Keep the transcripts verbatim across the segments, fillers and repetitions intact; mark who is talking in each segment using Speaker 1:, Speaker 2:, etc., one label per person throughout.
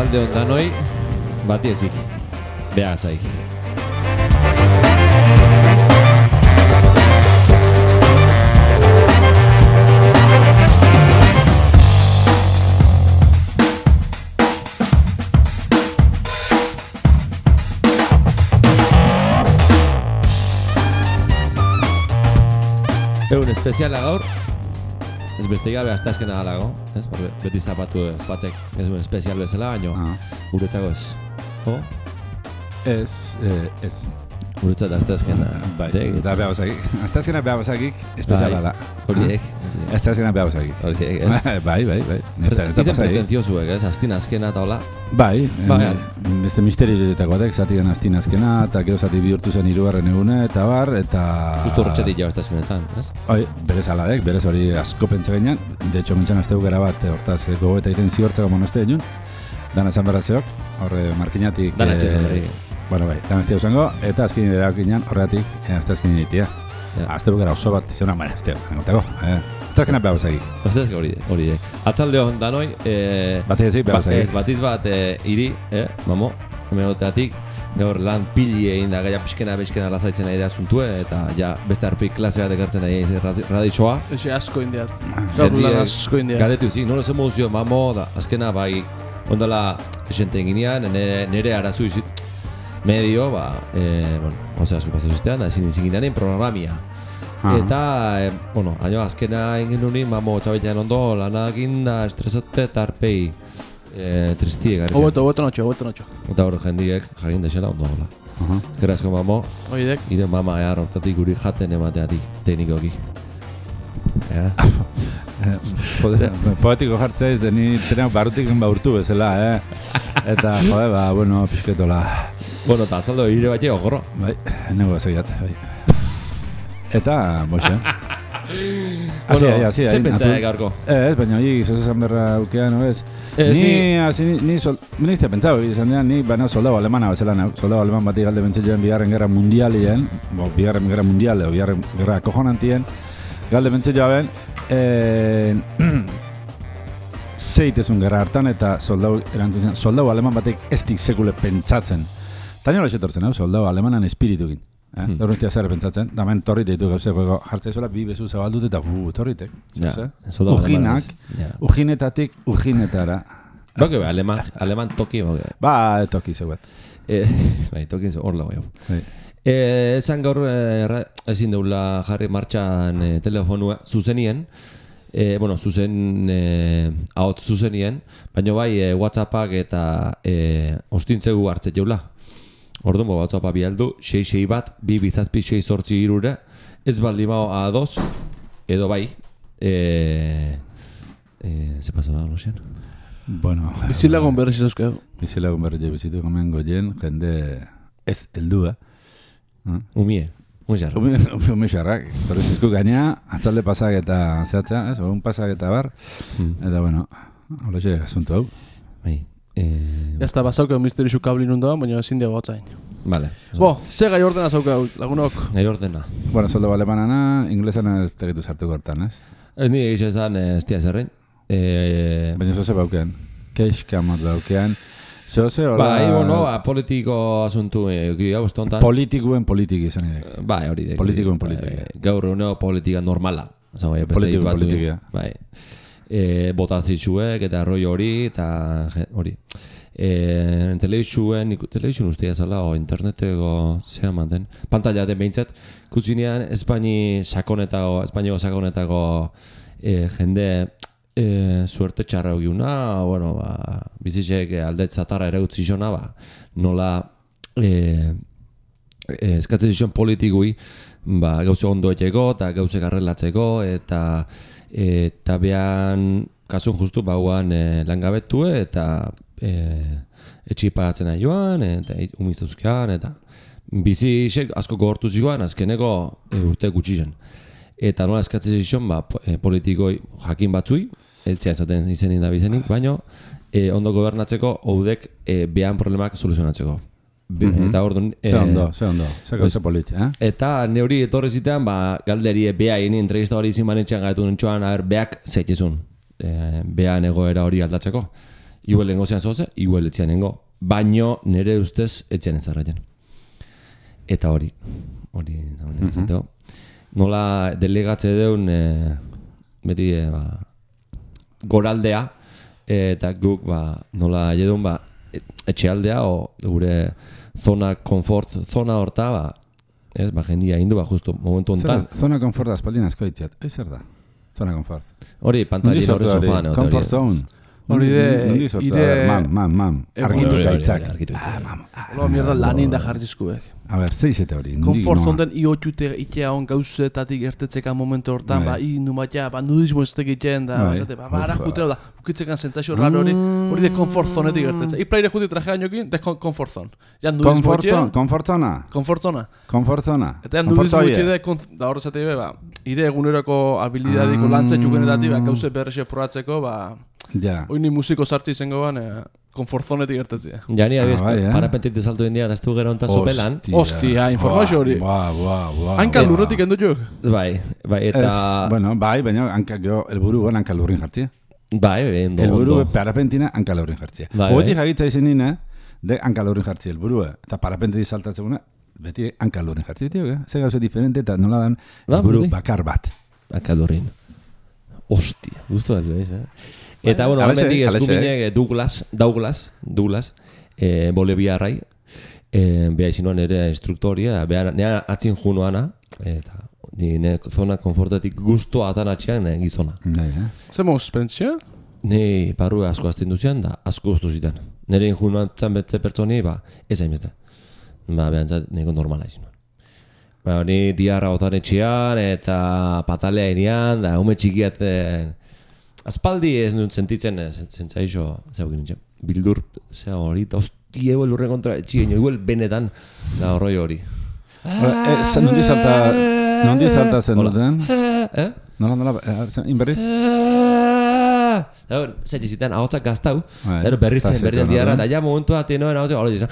Speaker 1: Atxalde ondan hoi, bati ezik, beha zaik. Egun espeziala gaur, ez beste gabe hasta azkena galago, ez? Beti zapatu espatzek ez un espezial bezala, baino ah. Guretzako ez. Oh?
Speaker 2: Ez, eh, ez.
Speaker 1: Guretzat hasta azkena.
Speaker 2: Bai, eta beha bazakik. Hasta azkena beha bazakik, espeziala da.
Speaker 1: Horiek.
Speaker 2: Hasta azkena beha bazakik.
Speaker 1: Horiek, ez.
Speaker 2: Bai, bai, bai.
Speaker 1: Izen pretenziozuek, ez? Aztin azkena eta hola.
Speaker 2: Bai, beste misterioetako batek, zati den aztin azkena, eta gero zati bihurtu zen hirugarren egune, eta bar, eta...
Speaker 1: Justo horretxetik jau hasta azkenetan, ez?
Speaker 2: Bai, berez aladek, berez hori asko pentsa gainean. De hecho, mentxan azteu gara bat, hortaz, gogoeta iten ziortzako monoste egin. Dana esan berratzeok, horre markinatik...
Speaker 1: Dana etxetan berri.
Speaker 2: Bueno, bai, dana estea usango, eta azkin erakinean horregatik, azte azkin initia. Azteu gara oso bat, zeuna, baina, azteu, nengotako, eh? Azte azkenak behar bazagik.
Speaker 1: Azte azkenak hori, hori, atzalde hon, danoi...
Speaker 2: Batiz ezik behar bazagik.
Speaker 1: Ez, batiz bat iri, eh, mamo, hemegoteatik, gaur lan pili egin da, gaia pixkena, pixkena lazaitzen nahi da zuntue, eta ja, beste arpik klasea dekartzen nahi egin raditxoa.
Speaker 3: Eze asko indiat, gaur lan asko indiat.
Speaker 1: Garetu, zi, nola zen mozio, mamo, da, azkena, bai, ondala, esenten ginean, nire arazu izit, medio, ba, eh, bueno, osea, asko pasazustean, da, ezin izin ginean programia. Ah. Eta, eh, bueno, aino azkena egin nunin, mamo, txabitean ondo, lanakin da, estresate eta arpei eh, tristie gari zen.
Speaker 3: Oboto, oboto notxo, oboto notxo.
Speaker 1: Eta hor jendiek jarin desela ondo gola. Uh-huh. Ezkerrazko, mamo,
Speaker 3: oidek.
Speaker 1: Ire mama ea hortatik guri jaten emateatik teknikoki. Ea?
Speaker 2: Poetiko jartzea ez, deni trenak barrutik baurtu bezala, eh? Eta, jode, ba, bueno, pixketola.
Speaker 1: Bueno, eta atzaldo ire bat ogorro.
Speaker 2: Bai, nego ezagiat, bai. Eta, boxe.
Speaker 1: Bueno, zen pentsaek gaurko?
Speaker 2: Ez, baina hori zozazan berra aukean, no ez? Ni, ni, ni izte pentsau, izan dian, ni baina soldau alemana bezala nauk. Soldau aleman bati galde bentzetxean bigarren gerra mundialien, bo, bigarren gerra mundiale, o bigarren gerra kojonantien, galde bentzetxean, zeitezun gerra hartan eta soldau erantzun zen, soldau aleman batek ez dik sekule pentsatzen. Taino hori etortzen, soldau alemanan espiritukin. Eh? Hmm. Horretia zer pentsatzen, da men torrit ditu gauzeko jartzea zuela bi bezu zabaldut eta bu, torritek.
Speaker 1: Ja,
Speaker 2: ujinak, ja. Ujinetatik ujinetara.
Speaker 1: Boke, aleman, aleman toki, boke.
Speaker 2: Ba, toki zeuet.
Speaker 1: Eh, bai, toki hor lago jau. Eh, esan gaur, eh, ezin deula jarri martxan eh, telefonua zuzenien, eh, bueno, zuzen, eh, ahot zuzenien, baina bai eh, WhatsAppak eta eh, ostintzegu hartzet jaula. Orduan, WhatsAppa bialdu, sei sei bat, bi bizazpi sei sortzi irure, ez baldi mao a dos, edo bai, eee... Eee... Ze pasa da, Rosian?
Speaker 2: Bueno...
Speaker 3: Bizilagun berri zizuzkeu.
Speaker 2: Bizilagun berri zibizitu gomen goien, jende ez heldua.
Speaker 1: Umie, umixarrak.
Speaker 2: Umixarrak, torri zizku gaina, atzalde pasak eta zehatzea, ez? Un pasak eta bar, eta bueno, hola xe, asunto hau.
Speaker 1: Bai.
Speaker 3: Eh, ya está, basauke misterizu kablin undoan, baina ezin dugu gotzain.
Speaker 1: Vale.
Speaker 3: Bo, ze gai ordena zauke lagunok?
Speaker 1: Gai ordena.
Speaker 2: Bueno, soldo alemanana, inglesana ez tegitu sartu gortan, ez?
Speaker 1: Ez nire egizan zan, ez tia zerrein. Eh,
Speaker 2: baina zoze baukean. Keixka mat baukean. Zoze, hola...
Speaker 1: Bai, bueno, politiko asuntu, egi hau estontan.
Speaker 2: Politikuen politiki izan idek.
Speaker 1: Bai, hori dek.
Speaker 2: Politikuen politiki.
Speaker 1: Gaur uneo politika normala.
Speaker 2: Politikuen politiki.
Speaker 1: Bai. E, botazitzuek eta arroi hori eta hori e, telebizuen telebizun ustea zala o interneteko zea manten pantalla den behintzat kuzinean Espaini sakonetako Espainiako sakonetako e, jende e, suerte txarra egiuna bueno ba bizitzek alde zatarra ere utzi zona ba nola e, e, eskatzen zizuen politikui ba gauze ondo etxeko eta gauze garrelatzeko eta eta behan kasun justu bauan e, langabetue eta e, etxi pagatzen nahi joan eta umiztuzkean eta bizi isek asko gogortu zioan azkeneko e, urte gutxi zen eta nola eskatzen zion ba, e, politikoi jakin batzui eltzea ezaten izenin da bizenik baina e, ondo gobernatzeko oudek e, behan problemak soluzionatzeko. Mm-hmm. Eta orduan...
Speaker 2: Ze ondo, ze ondo, ze gauza politi, eh?
Speaker 1: Eta neuri etorri zitean, ba, galderi bea egin entrevista hori izin banetxean gaitu nintxoan, aber, beak zeitezun. E, bean egoera hori aldatzeko. igual lengo zean zoze, igual etxean nengo. Baino nire ustez etxean ezarraien. Eta hori, hori, hori, mm -hmm. nola delegatze deun, e, beti, e, ba, goraldea, e, eta guk, ba, nola jedun, ba, etxealdea, o gure zona, konfort, zona horta, ba, ez, ba, jendia hindu, ba, justu, momentu ontan.
Speaker 2: Zona konfort aspaldin asko itziat, ez zer da? Zona konfort.
Speaker 1: Hori, pantalla hori sofan.
Speaker 2: Comfort zone.
Speaker 3: Hori de...
Speaker 2: Ire... Mam, mam, mam. Argitu gaitzak.
Speaker 1: Ah,
Speaker 2: mam.
Speaker 3: Ola, mierda lanin da jarrizkuek.
Speaker 2: A ber, zeizete hori.
Speaker 3: Komfort zonden iotxute itea hon gauzetatik ertetzeka momentu hortan, ba, i numatia, ba, nudismo ez tegiten da, ba, esate, ba, bara jutera da, ukitzekan zentzazio raro hori, hori de komfort zonetik ertetze. Ipraire juti traje ainokin, de komfort zon. Ja, nudismo itea...
Speaker 2: Komfort zona.
Speaker 3: Komfort zona.
Speaker 2: Komfort zona.
Speaker 3: Eta ja, nudismo itea, da horretzate, ba, ire eguneroko habilidadiko lantzetxu genetatik, ba, gauze berrexe probatzeko, ba...
Speaker 2: Ja.
Speaker 3: Oini musiko sartzi izango ban, eh, konfortzonetik gertatzea.
Speaker 1: Ja, ni abieztu, ah, eh? Parapentit salto india, da estu gero onta sopelan.
Speaker 3: Ostia, informazio hori.
Speaker 2: Ba, ba, ba.
Speaker 3: Hanka lurretik endu jo?
Speaker 1: Bai, bai, eta...
Speaker 2: Es, bueno, bai, baina hanka gero, elburu guen hanka lurrin jartzia.
Speaker 1: Bai, bai, ondo,
Speaker 2: elburu parapentina hanka lurrin jartzia.
Speaker 1: Bai,
Speaker 2: Oetik jagitza izin nina, de hanka lurrin jartzia elburu, eta parapentit saltatzeguna, beti hanka lurrin jartzia, tio, eh? Ze gauze diferente, eta nola dan elburu bakar bat.
Speaker 1: Hanka lurrin. Ostia, guztu bat, eh? Eta, bueno, almendik eskuminek Douglas, Douglas, Douglas, eh, boliviarrai, eh, beha izinuan ere instruktoria, beha nea atzin junuana, eta ni zona konfortatik guztua atanatxean eh, gizona.
Speaker 3: Zer moz, pentsio?
Speaker 1: Ni parru asko azten duzian, da asko guztu zitan. Nire injunuan txan betze pertsoni, ba, ez hainbeste. Ba, behan txat, niko normala izinuan. Ba, ni diarra otan etxean, eta patalea inean, da, ume txikiaten, aspaldi ez nuen sentitzen, zentzaixo, zeu ginen, bildur, zea hori, eta hostia, eguel urren kontra etxien, eguel benetan, da horroi hori.
Speaker 2: Nondi salta, nondi salta zen duten?
Speaker 1: Eh?
Speaker 2: Nola, nola, inberriz?
Speaker 1: Zer jizitan, ahotzak gaztau, berriz zen, berdian diarra, eta ja momentua tenoen ahotzak, hori jizan,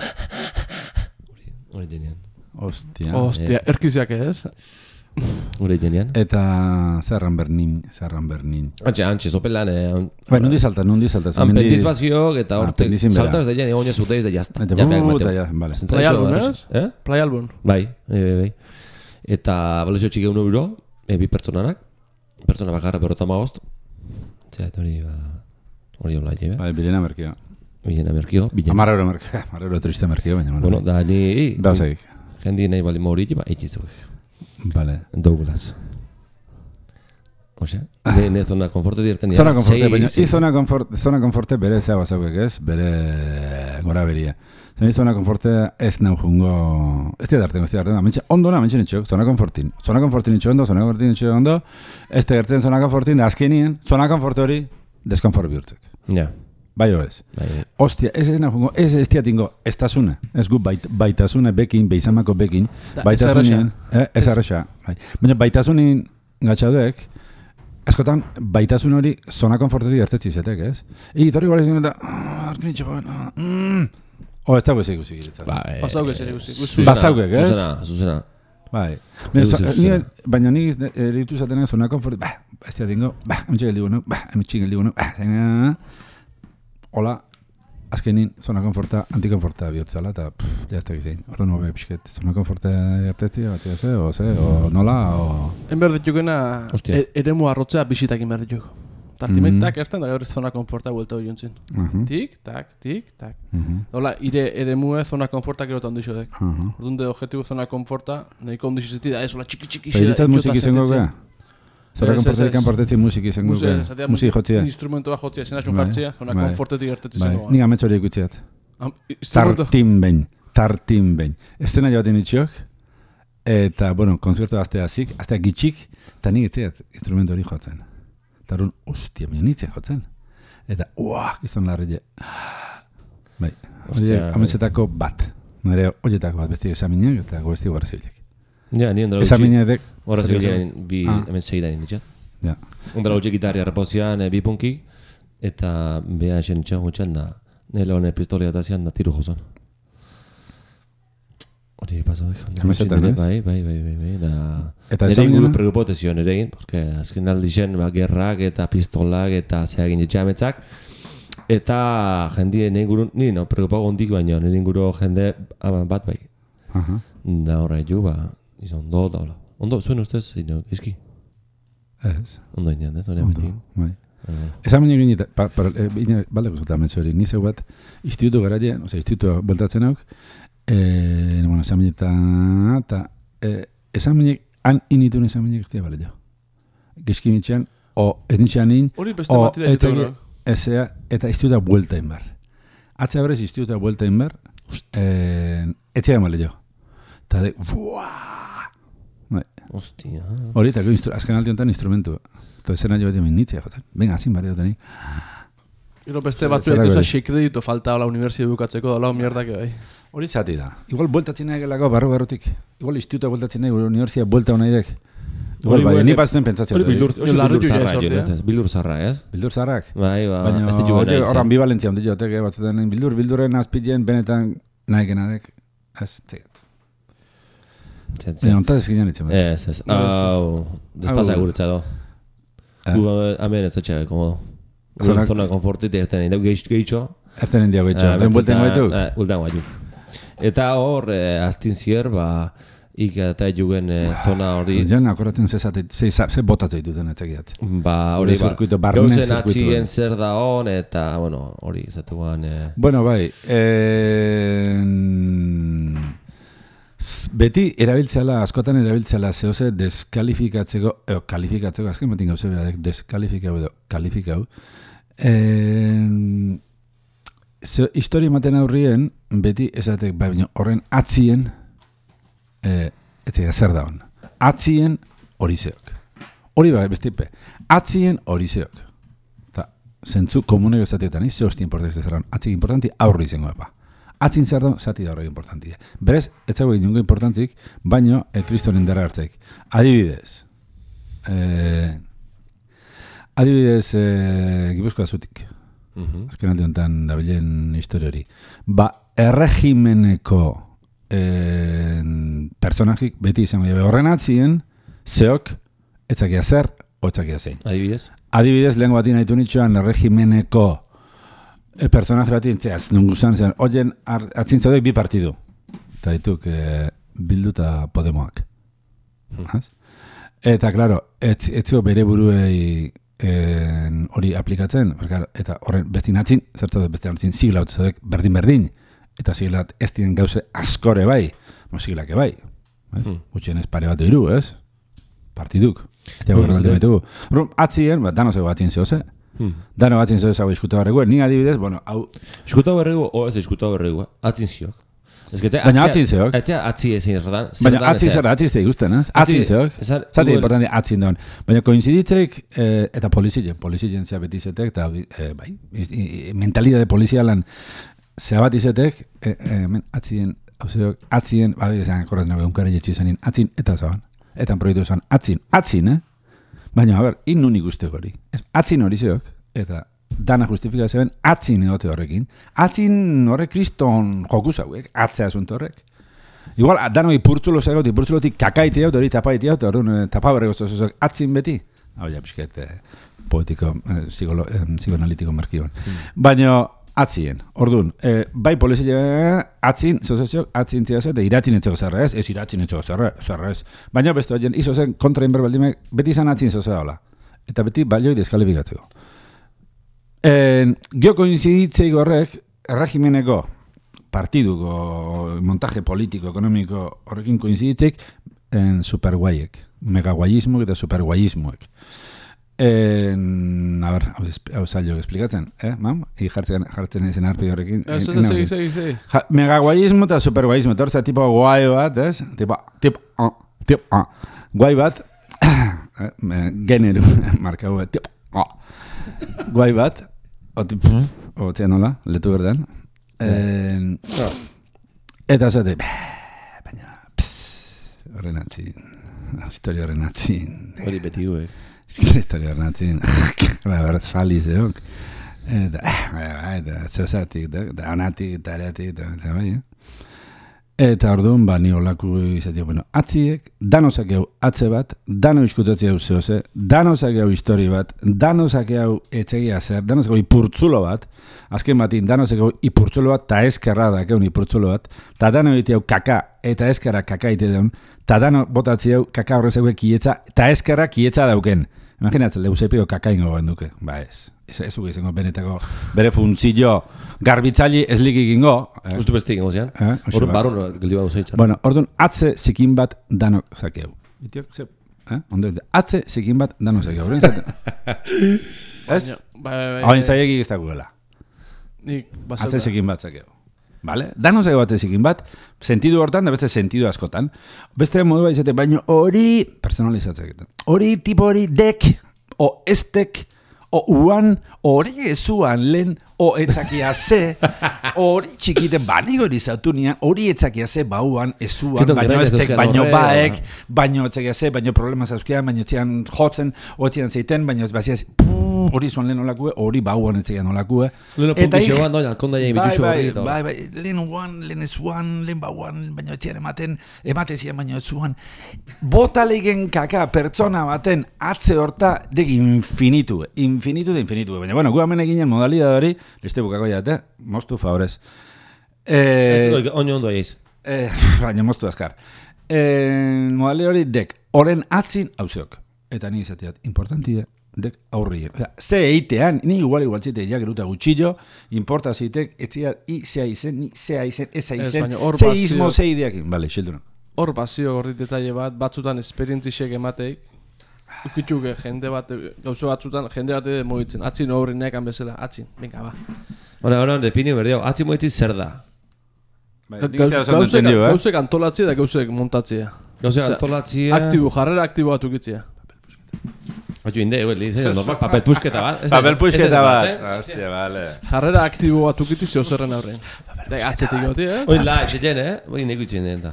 Speaker 1: hori genian.
Speaker 2: Ostia.
Speaker 3: Ostia, erkiziak ez?
Speaker 1: Gure genian.
Speaker 2: Eta zerran bernin, zerran bernin.
Speaker 1: Antxe, antxe, sopelan...
Speaker 2: Bai, nundi salta, nundi salta.
Speaker 1: Anpendiz bazioak eta horte salta ez da jen, egon jasute ez da jazta.
Speaker 2: Eta buta, ja, bale.
Speaker 3: Play album, ez? Play album.
Speaker 1: Bai, bai. Eta balezio txike unu euro, bi pertsonanak, pertsona bakarra berrota magost. Zea, eta hori, hori hola jebe.
Speaker 2: Bai, bilena merkio.
Speaker 1: Bilena merkio.
Speaker 2: Amar euro merkio, amar euro triste merkio, baina.
Speaker 1: Bueno, da ni...
Speaker 2: Da, segik.
Speaker 1: Jendi nahi bali mauri ba, eitxizuk.
Speaker 2: Vale.
Speaker 1: Douglas. Osea, ne, ne zona konforte dirten
Speaker 2: zona konforte, baina, i zona konforte, zona konforte bere zea bazauek ez, bere gora beria. Zena zona konforte ez nau jungo, ez dira dartengo, ez dira dartengo, mentxe, ondo na, mentxe nitxok, zona konfortin. Zona konfortin nitxo ondo, zona konfortin nitxo ondo, ez te gertzen zona konfortin, da azkenien, zona konforte hori, deskonfort bihurtzek.
Speaker 1: Ja. Yeah.
Speaker 2: Bai o ez.
Speaker 1: Bai.
Speaker 2: Ostia, ez ez nahi ez ez tiatingo, ez tasune. Ez gu bait, baitasune bekin, beizamako bekin. Baitasunien, ez arrexa. Bai. Baina baitasunin gatxaduek, askotan baitasun hori zona konfortetik ertetzi zetek, ez? I, torri gara izan eta, arkin itxapan, o, ez dago ez ikusi giretzat.
Speaker 1: Bai.
Speaker 3: Basauke ez ikusi.
Speaker 2: Basauke, ez?
Speaker 1: Zuzena, zuzena.
Speaker 2: Bai. Baina nik eritu zaten ez zona konfortetik, ba, ez tiatingo, ba, emitxe geldi gunu, ba, emitxe geldi gunu, ba, hola, azkenin, zona konforta, antikonforta bihotzala, eta jazta gizein. Horren hobe pixket, zona konforta ertetzi, batzia ze, o ze, o nola, o...
Speaker 3: Enber ditukena, ere mua arrotzea bisitak inber dituk. Tartimentak erten da gaur zona konforta buelta hori jontzin. Tik, tak, tik, tak. Hola, ire ere mua zona konforta gero ondixo dek. Orduan de objetibo zona konforta, nahiko ondixo zeti da, ez, hola, txiki txiki xera.
Speaker 2: Feritzat musik izango gara? Zora konfortetik kanpartetzi musiki izango gara? Musiki jotzia?
Speaker 3: Instrumento bat jotzia, zena xun jartzia, zona konfortetik ertetzi izango gara.
Speaker 2: Nik amets horiek utziat. Tartin behin, tartin behin. Estena jabaten itxiok, eta, bueno, konzertu aztea zik, aztea gitxik, eta nik itziat instrumento hori jotzen. Eta horren, ostia, baina nitzia jotzen. Eta, uah, izan larri. Bai, ametsetako bat. Nire horietako bat besti examinak eta gobesti gara zibilek.
Speaker 1: Ja, ni ondara
Speaker 2: gutxi.
Speaker 1: Hora zibilean bi hemen segidan inditxat.
Speaker 2: Ja.
Speaker 1: Ondara gutxi gitarria repozian bi punki, eta beha esen itxan gutxan da, nire hone pistolia eta zian da tiru jozan. Hori pasau egin.
Speaker 2: Hemesetan, ez?
Speaker 1: Bai, bai, bai, bai, bai, da... Nire inguru preocupotezio nire egin, porque azken aldi zen, ba, gerrak eta pistolak eta zea egin ditxametzak, Eta jendien inguru, ni no, preocupago hondik baino, nire inguru jende bat bai.
Speaker 2: Aha.
Speaker 1: Da horre ju, ba, izan ondo, da, ondo, zuen ustez, ino, izki?
Speaker 2: Ez.
Speaker 1: Ondo indian, ez, hori ametin.
Speaker 2: Bai. Esan baina egin, baldeko zuta ametzu hori, nizeu bat, institutu garaien, oza, institutua bueltatzen hauk, bueno, esan baina eta, esan baina, han initu esan baina giztia bale jo. Gizkin itxean, o ez nitxean in,
Speaker 3: hori beste batira ditu
Speaker 2: ezea, eta institutua buelta inbar. Atzea berez institutua buelta inbar, etxean bale jo. Eta de, buaa!
Speaker 1: Ostia.
Speaker 2: Hori, eta azken alti honetan instrumentu. Eta zena jo bat jamin nitzea, joten. Venga, azin barri dut nik.
Speaker 3: Gero beste batzu ditu za xekreditu falta la universidad bukatzeko da lau mierdak bai.
Speaker 2: Hori zati da. Igual bueltatzen nahi gelako barru barrutik. Igual instituta bueltatzen nahi, universidad buelta hona idek. Igual bai, ni baztuen pentsatzen.
Speaker 1: Hori bildur zarra, bildur zarra, ez?
Speaker 2: Bildur zarrak?
Speaker 1: Bai, ba,
Speaker 2: ez ditu gana itzen. Hor ambivalentzia ondi jotek, batzutan bildur, bildurren azpitien benetan nahi genadek. Ez, txegat. Baina, ontaz ezkinean itzen.
Speaker 1: Ez, ez. Hau, despasa guretza do. Gu, hemen ez etxea, komodo. Zona konfortit erten egin, gehitxo. Erten
Speaker 2: egin diago gehitxo, ben buelten gaituk?
Speaker 1: Bulten gaituk. Eta hor, aztin zier, ba, ik eta jugen zona hori...
Speaker 2: Jan, akoratzen ze botatzei duten etxekiat.
Speaker 1: Ba, hori, ba, gauzen atzien zer da hon, eta, bueno, hori, zatuan...
Speaker 2: Bueno, bai, beti erabiltzela, askotan erabiltzela zehose deskalifikatzeko, eo, kalifikatzeko, azken batin gauze behar, deskalifikau edo, kalifikau. Historia ematen aurrien, beti esatek, bai, horren atzien, e, etzega zer da hon, atzien horizeok. Hori bai, bestipe, atzien horizeok. Eta, zentzu komunek esateetan, ze hosti importantik zeran, atzik importanti aurri izango epa. Atzin zer da, zati da horrek importantia. Berez, ez zago egin nungo importantzik, baino, e, kristonen dara hartzeik. Adibidez, e, adibidez, e, Gipuzkoa zutik. Uh-huh. Azken alde honetan dabilen historia hori. Ba, erregimeneko e, personajik beti izango jabe. Horren atzien, zeok, etzakia zer, otzakia zein.
Speaker 1: Adibidez?
Speaker 2: Adibidez, lehenko bati nahitu nitxoan, erregimeneko E personaje bat intzeaz, nungu zan, zen, oien atzintzaudek bi partidu. Eta dituk, e, Bildu eta Podemoak. Hmm. Eta, klaro, etzio bere buruei hori aplikatzen, eta horren bestin atzin, zertzaude bestin atzin, siglaut zaudek berdin-berdin, eta siglat ez dien gauze askore bai, mo siglake bai. Hmm. Gutxien ez pare bat iru, ez? Partiduk. Eta gure baldin baitugu. Rum, atzien, bat, dano zego atzin zehose. Hmm. Dano atzin zeu zago iskuta berregu, ni adibidez, bueno, hau...
Speaker 1: Iskuta berregu, o ez iskuta berregu, atzin ziok.
Speaker 2: Baina atzin zeok.
Speaker 1: Atzia atzi ezin erdan.
Speaker 2: Baina atzin zer, atzin zeik ikusten, ez? Atzin zeok. Zati importanti atzin daun. Baina koinziditzeik, eta polizien, polizien zea beti izetek, eta bai, mentalidade polizialan zea bat izetek, atzien, hau zeok, atzien, bai, ezan, korraten nago, unkare jetxi izanin, atzin, eta zaban. Eta proiektu esan, atzin, atzin, eh? Baina, a ber, in nun ikuste hori. Atzin hori zeok, eta dana justifika zeben, atzin egote horrekin. Atzin horrek kriston joku zauek, atzea asunto horrek. Igual, dana hori purtzulo zegoet, purtzulotik kakaiti hau, hori tapaiti hau, hori tapabarreko zozozok, atzin beti. Hau ja, pisket, poetiko, psikoanalitiko markion. Baina, atzien, orduan, bai polizia atzin, zozoziok, atzin zehaz, eta iratzin etxego zerra ez, ez iratzin etxego zerra ez. Baina, beste horien, izo zen kontra inber baldimek, beti izan atzin zozera hola. Eta beti balioi deskalifikatzeko. Gio koinziditzeik horrek, erregimeneko, partiduko, montaje politiko, ekonomiko horrekin koinziditzeik, superguaiek, megaguaismoek eta superguaismoek. A ber, hau zailok esplikatzen, eh, mam? I jartzen, jartzen ezen arpi horrekin.
Speaker 3: Eso, segi, segi, segi.
Speaker 2: Megaguaismo eta superguaismo, torza tipo guai bat, ez? Tipo, tipo, tipo, guai bat, generu, markau bat, tipo, guai bat, o tipo, o tia nola, letu berdan. Eta zate, baina, horren atzin, historia horren atzin.
Speaker 1: Hori beti guek.
Speaker 2: Historia horren atzin, berret fali zeok. Eta, eta, zeozatik, da onatik, eta areatik, eta bai, Eta orduan, ba, ni olaku izatea, bueno, atziek, danozak hau atze bat, dano iskutatzea hau zehose, danozak hau histori bat, danozak hau etzegia zer, danozak hau ipurtzulo bat, azken batin, danozak hau ipurtzulo bat, ta eskerra da, keun ipurtzulo bat, ta dano egitea hau kaka, eta eskerra kaka ite deun, ta dano botatzea hau kaka horrezak kietza, ta eskerra kietza dauken. Imaginatzen, leuzepiko kaka ingo guen duke, ba ez. Ez ez uke izango benetako bere funtzio garbitzaili ez likik ingo.
Speaker 1: Justu beste ingo zian. Orduan barun geldi badu zeitzan.
Speaker 2: Bueno, orduan atze zikin bat danok zakeu. Itiok, ze, eh? Ondo, atze zikin bat danok zakeu. Ez? Hain zaiegi ez dagoela. Atze zikin bat zakeu. Vale? Danok zakeu atze zikin bat, sentidu hortan, da beste sentidu askotan. Beste modu izate, baino hori personalizatzea. Hori tipo hori dek, o estek, o uan, hori ezuan lehen, o etzakia ze, hori txikiten baniko erizatu nian, hori etzakia ze bauan, ezuan, baino estek, baino baek, baino etzakia ze, baino problemaz euskean, baino etzian jotzen, o etzian zeiten, baino ez baziaz, hori zuan lehen olakue, hori bauan etzakian olakue.
Speaker 1: Lehen puntu xeoan doin, alkonda jain bituxo hori.
Speaker 2: Bai, bai, lehen uan, lehen ezuan, lehen bauan, baino etzian ematen, ematezian baino ezuan. Botalegen kaka pertsona baten atze horta dek infinitu, infinitu da infinitu. Baina, bueno, gu hemen eginen modalidad hori, leste bukako jate, moztu favorez.
Speaker 1: Ez dugu, oino ondo egeiz.
Speaker 2: Baina, moztu azkar. Modalidad hori dek, oren atzin hauzeok. Eta nik izateat, importanti da. Dek aurrien. Ze eitean, ni igual igual zite ja geruta gutxillo, importa zitek, etzia i zea izen, ni zea izen, eza izen, ze izmo ze ideakin. Bale, xildunan.
Speaker 3: Hor bazio horri detalle bat, batzutan esperientzisek emateik, ukituk jende bat, gauzo batzutan, jende bat edo mogitzen, atzin horri nekan bezala, atzin, venga, ba.
Speaker 1: Hora, hora, defini berdio, atzin mogitzen zer da?
Speaker 3: Gauzek antolatzea da gauzek montatzea.
Speaker 1: Gauzek antolatzea...
Speaker 3: Aktibo, jarrera aktibo bat ukitzea.
Speaker 1: Oio, inde, izan, normal, papel pusketa bat.
Speaker 2: Papel pusketa bat. Hostia, vale.
Speaker 3: Jarrera aktibo bat ukitzea zerren aurrein. Atzetik goti, eh?
Speaker 1: Oin la, etxeten, eh? Oin neko itxen den da.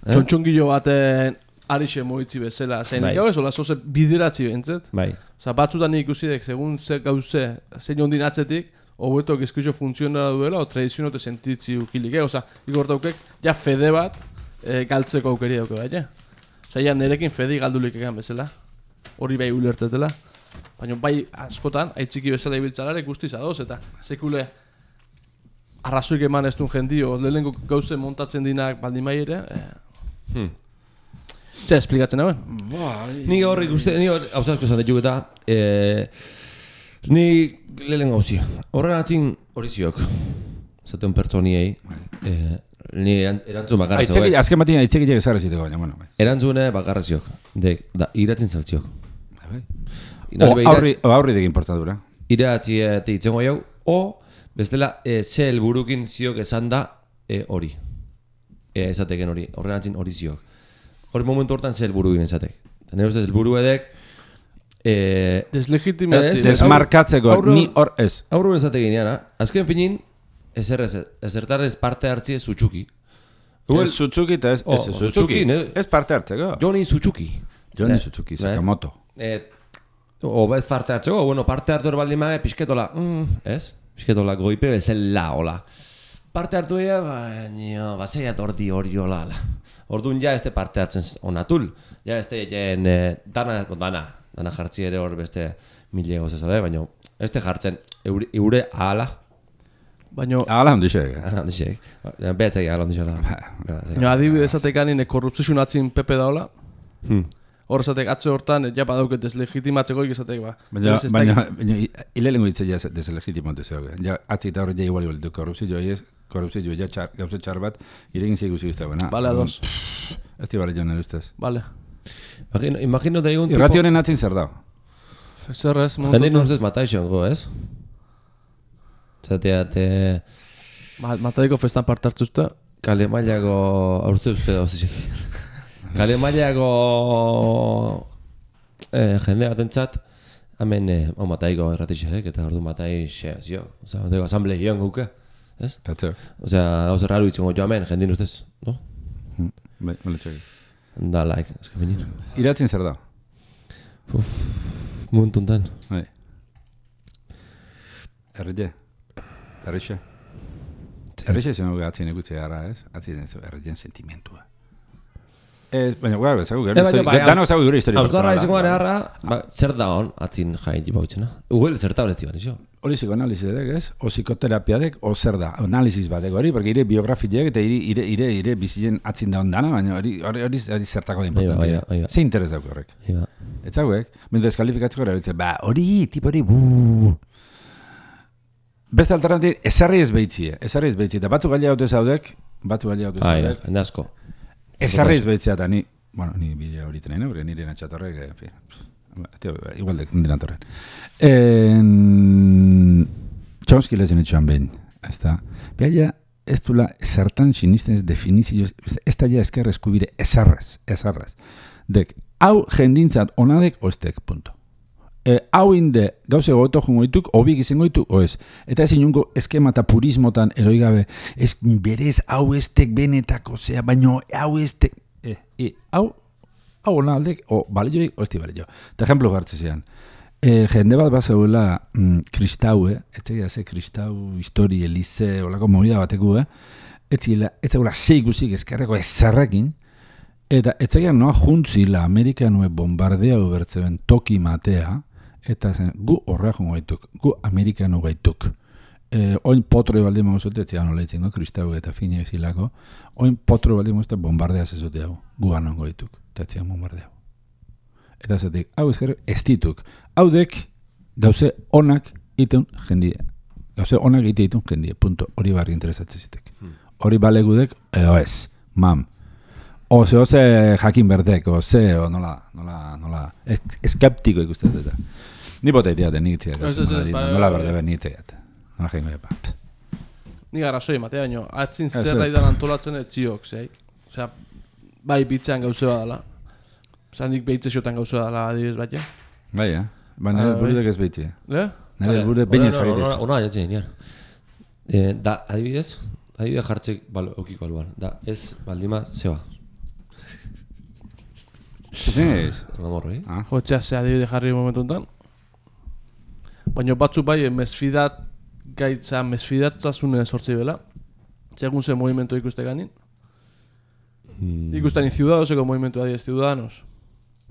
Speaker 3: Txontxongillo baten arixe moitzi bezala. Zein gau ez, hola, zoze bideratzi bentzet.
Speaker 1: Bai.
Speaker 3: Osa, batzutan nik usidek, segun ze gauze, zein ondin atzetik, hobeto gizkizio funtzionara duela, o tradizionote sentitzi ukilik, eh? Osa, igortaukek, ja fede bat galtzeko aukeri dauke, bai, eh? Osa, ja nerekin fedi galdulik egan bezala. Hori bai ulertetela. Baina bai askotan, aitziki bezala ibiltzalare guztiz adoz, eta sekule arrazoik eman ez duen jendio, lehenko gauze montatzen dinak baldin bai ere, eh, hmm. Zer esplikatzen hauen?
Speaker 1: Ni horri guzti, ni hor, hau zazko esan dituk eta, eh, ni lehen gauzia. Horren atzin hori ziok, zaten pertsoniei, eh, ni erantzun bakarra zegoek.
Speaker 2: Azken batina aitzekitiak ezarra ziteko baina, bueno.
Speaker 1: Erantzune bakarra ziok, dek, da, iratzen zaltziok.
Speaker 2: O aurri dek importandura.
Speaker 1: Iratzi eta itzengo jau, o bestela ze helburukin ziok esan da hori. Ezateken hori, horren atzin hori ziok. Hori momentu hortan ze helburukin ezatek. Nire ustez helburu edek...
Speaker 3: Deslegitimatzi.
Speaker 2: Desmarkatzeko, ni hor ez.
Speaker 1: Aurru ezatekin jana, azken finin, ezertarrez parte hartzi ez zutxuki.
Speaker 2: Ez zutxuki eta ez zutxuki. Ez parte hartzeko.
Speaker 1: Joni zutxuki.
Speaker 2: Joni zutxuki, Sakamoto.
Speaker 1: O ez parte hartzeko, bueno, parte hartu erbaldin maga, pixketola, ez? Pixketola goipe bezala, hola. Parte hartu ega, baina, bazeiat ordi hori hola. Orduan ja ez parte hartzen onatul. Ja ez jen dana, dana, dana jartzi ere hor beste mil egoz ez, baina ez jartzen eure ahala.
Speaker 3: Baina...
Speaker 2: Ahala handixek.
Speaker 1: Ahala handixek. Behatzek ahala handixela.
Speaker 3: Baina adibidez atekan korrupzizun atzin Pepe daola. Hor esatek atze hortan, ja badauket deslegitimatzeko ikizatek, ba.
Speaker 2: Baina, hilelengo hitze ja deslegitimatu zegoen. Ja, atzi eta horret ja igual igual, korrupzio ez, korrupzio ja gauze txar bat, iregin zeigu zigizta, baina.
Speaker 3: Bale, ados.
Speaker 2: Ez tibare joan erustez.
Speaker 3: Bale.
Speaker 1: Imagino da egun tipo...
Speaker 2: Irrationen atzin zer da?
Speaker 3: Zer ez, momentu...
Speaker 1: Jendin ustez mataixongo, ez? Zateat...
Speaker 3: Mataiko festan parte hartzu uste?
Speaker 1: Kale mailako aurte uste da, ozizik. Kale mailako eh, jende batentzat, hemen eh, oh, mataiko erratixek, eta ordu mataix, zio, oza, bateko asamble gion guke, ez?
Speaker 2: Tatzeo.
Speaker 1: Osea, hau zer raru itxengo jo hemen, jendin ustez, no?
Speaker 2: Bai, male txaki.
Speaker 1: Da, like, azka finir.
Speaker 2: Iratzin zer da?
Speaker 1: Uf, muntuntan.
Speaker 2: Bai. Errite? Errixe? errexe zen dugu atzien ikutze gara, ez? Atzien ez erretzen sentimentua. Ez, baina gara, bezagu gero historia. Dano ezagu gero historia.
Speaker 1: Ausdarra izango gara harra, zer da hon, atzin jain jipa hutxena. Uguel zerta horrezti ban, iso?
Speaker 2: Hori psikoanalizidek, ez? O psikoterapiadek, o zer da, analiziz batek hori, porque ire biografiak eta ire, ire, ire bizien atzin da ondana, baina hori, hori, hori, hori zertako da importantia. Ze interes dauk horrek. Ez hauek, mentu deskalifikatzeko gara, bitze, ba, hori, tip hori, buuu. Beste alternativ, ezarri ez behitzie, ezarri ez behitzie, eta batzuk gaila haute zaudek, batzuk gaila haute zaudek.
Speaker 1: Hende asko.
Speaker 2: Ezarri ez behitzea, eta ni, bueno, ni bidea hori teneen, porque nire natxatorrek, en fin, igual de nire natorren. Chomsky lezen etxoan behin, ez da, behaia ez dula zertan sinisten ez definizioz, ez da ja ezker eskubire ezarraz, ezarraz. Dek, hau jendintzat onadek oestek, punto. E, hau inde gauze goto jongoituk, obik izango ditu, oez. Eta ez inungo eskema eta purismotan eroigabe, ez berez hau estek benetako, zea, baino hau estek, e, e, hau, hau ona aldek, o balioik, o esti balio. Eta ejemplo gartze zean, e, jende bat bat zegoela mm, kristau, eh? Etzegia ze kristau, histori, elize, olako movida bateko, eh? Etzela, etzegoela zei guzik ezkerreko ezerrekin, eta etzegia noa juntzila Amerikanue bombardea ubertzeben toki matea, eta zen, gu horrea jongo gaituk, gu Amerikano gaituk. E, oin potro baldi mauzute, etzian nola itzen, no? Kristau eta fine ezilako, oin potro baldi mauzute bombardea zezute hau, gu anongo gaituk, eta etzian bombardea. Eta zetik, hau ezker, ez dituk. Hau dek, gauze onak iteun jendie. Gauze onak ite itun jendie, punto. Hori barri interesatzen zitek. Hori hmm. balegudek, eo ez, mam. Oze, oze jakin berdek, oze, o nola, nola, nola, eskeptiko ikusten eta. Ni bota itiate, nik itziak. Nola berde ben, nik itziak. Nola jengo epa.
Speaker 3: Nik arrazoi, matea baino, atzin zerra idan antolatzen etziok, zei. Osea, bai bitzean gauze badala. Osea, nik behitzesiotan gauze badala adibidez bat, ja?
Speaker 2: Bai, ja. Ba, nire burudek ez behitze.
Speaker 3: Eh?
Speaker 2: Nire burudek bain ez jarritez.
Speaker 1: Ona, jatzen, nian. Da, adibidez, adibidez jartzik okiko aluan. Da, ez baldima, zeba.
Speaker 2: Zer ez?
Speaker 1: Amorro, eh?
Speaker 3: Jotxea ze adibide jarri momentu enten. Baina batzu bai, mesfidat gaitza, mesfidatzasune sortzi bela. Segun ze movimiento ikuste ganin. Hmm. Ikusten in ciudadoseko movimiento adiez, ciudadanos.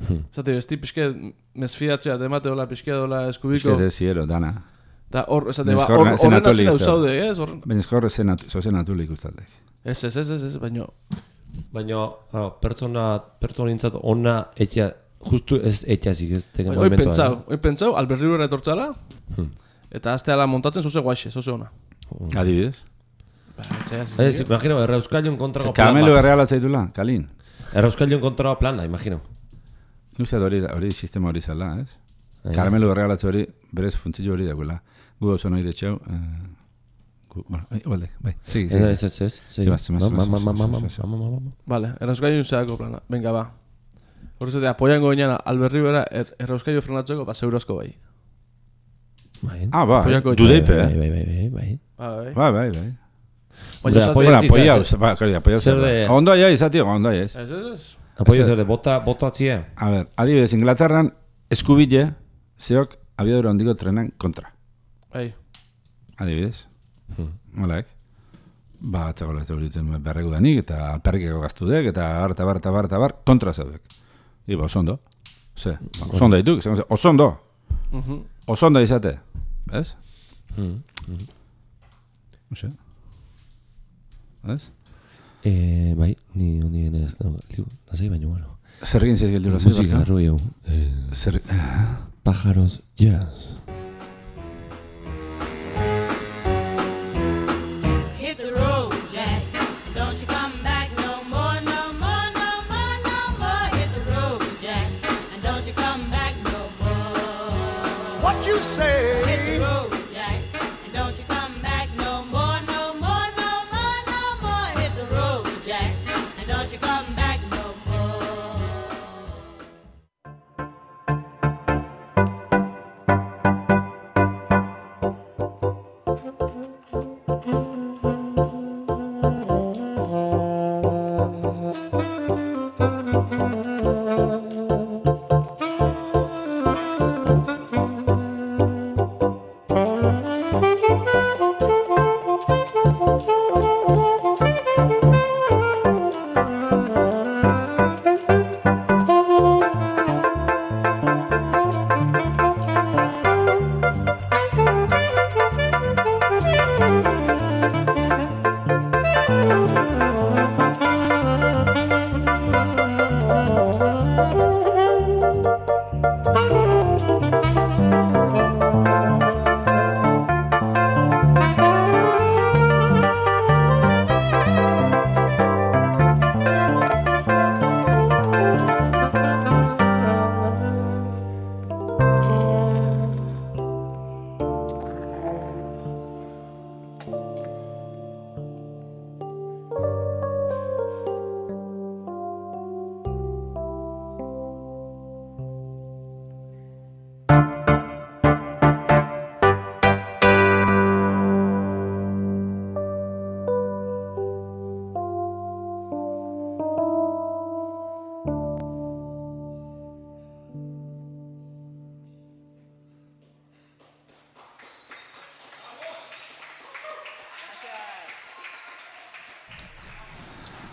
Speaker 3: Hmm. Zati, besti pixke mesfidatzea, temate dola, pixke dola eskubiko.
Speaker 2: Pixke de ziero, dana.
Speaker 3: Da, hor, esate, ba, horren atzina usaude, ez?
Speaker 2: Baina eskor zozen atuli ikustatek.
Speaker 3: Ez, ez, ez, ez, ez, baina...
Speaker 1: Baina, pertsona, pertsona nintzat ona etxea, justu ez etxazik ez teken
Speaker 3: movimento. Hoi pentsau, hoi pentsau, alberri horre etortzala, hmm. eta azte ala montatzen zoze guaxe, zoze ona.
Speaker 2: Hmm. Adibidez?
Speaker 3: Ba, etxea, ez.
Speaker 1: Ez, imagino, errauskalion kontrago plan bat.
Speaker 2: Kamelu erreala zaitula, Kalin?
Speaker 1: Errauskalion kontrago plana, imagino.
Speaker 2: Nuzat hori, hori sistema hori zala, ez? Karamelu errealatze hori, berez funtzio hori dagoela. Gu hau zonoi detxeu, bueno, igual de, bai, sigi, sigi.
Speaker 1: Ez, ez, ez, sigi.
Speaker 3: Vale, errauskailu zeako plana, venga, ba. Horrezatik, apoiango ginean, alberri bera, errauskailu frenatzeko, ba, zeurozko bai.
Speaker 2: Ah, ba, dudeipe, eh?
Speaker 1: Bai, bai, bai, bai.
Speaker 2: Bai, bai, bai.
Speaker 3: Baina,
Speaker 2: apoiauz, ba, kari, apoiauz. Ondo aia izati, ondo aia ez.
Speaker 3: Ez, ez, ez.
Speaker 1: Apoio zer de, bota, bota atzie.
Speaker 2: A ver, adibidez, Inglaterran, eskubile, zeok, abiadura ondiko trenan kontra.
Speaker 3: Bai.
Speaker 2: Adibidez. Malaek. Ba, atzagola ez dauritzen berregu danik, eta alperrikeko gaztudek, eta bar, eta bar, eta bar, eta bar, kontra zaudek. Iba, osondo. Ze, osondo dituk, osondo. Osondo izate. Ez? Ose? Ez?
Speaker 1: Eh, bai, ni honi ez da, lasai baino, bueno.
Speaker 2: Zer egin zeiz gildu lasai?
Speaker 1: Musika, rollo.
Speaker 2: Zer...
Speaker 1: Pájaros jazz.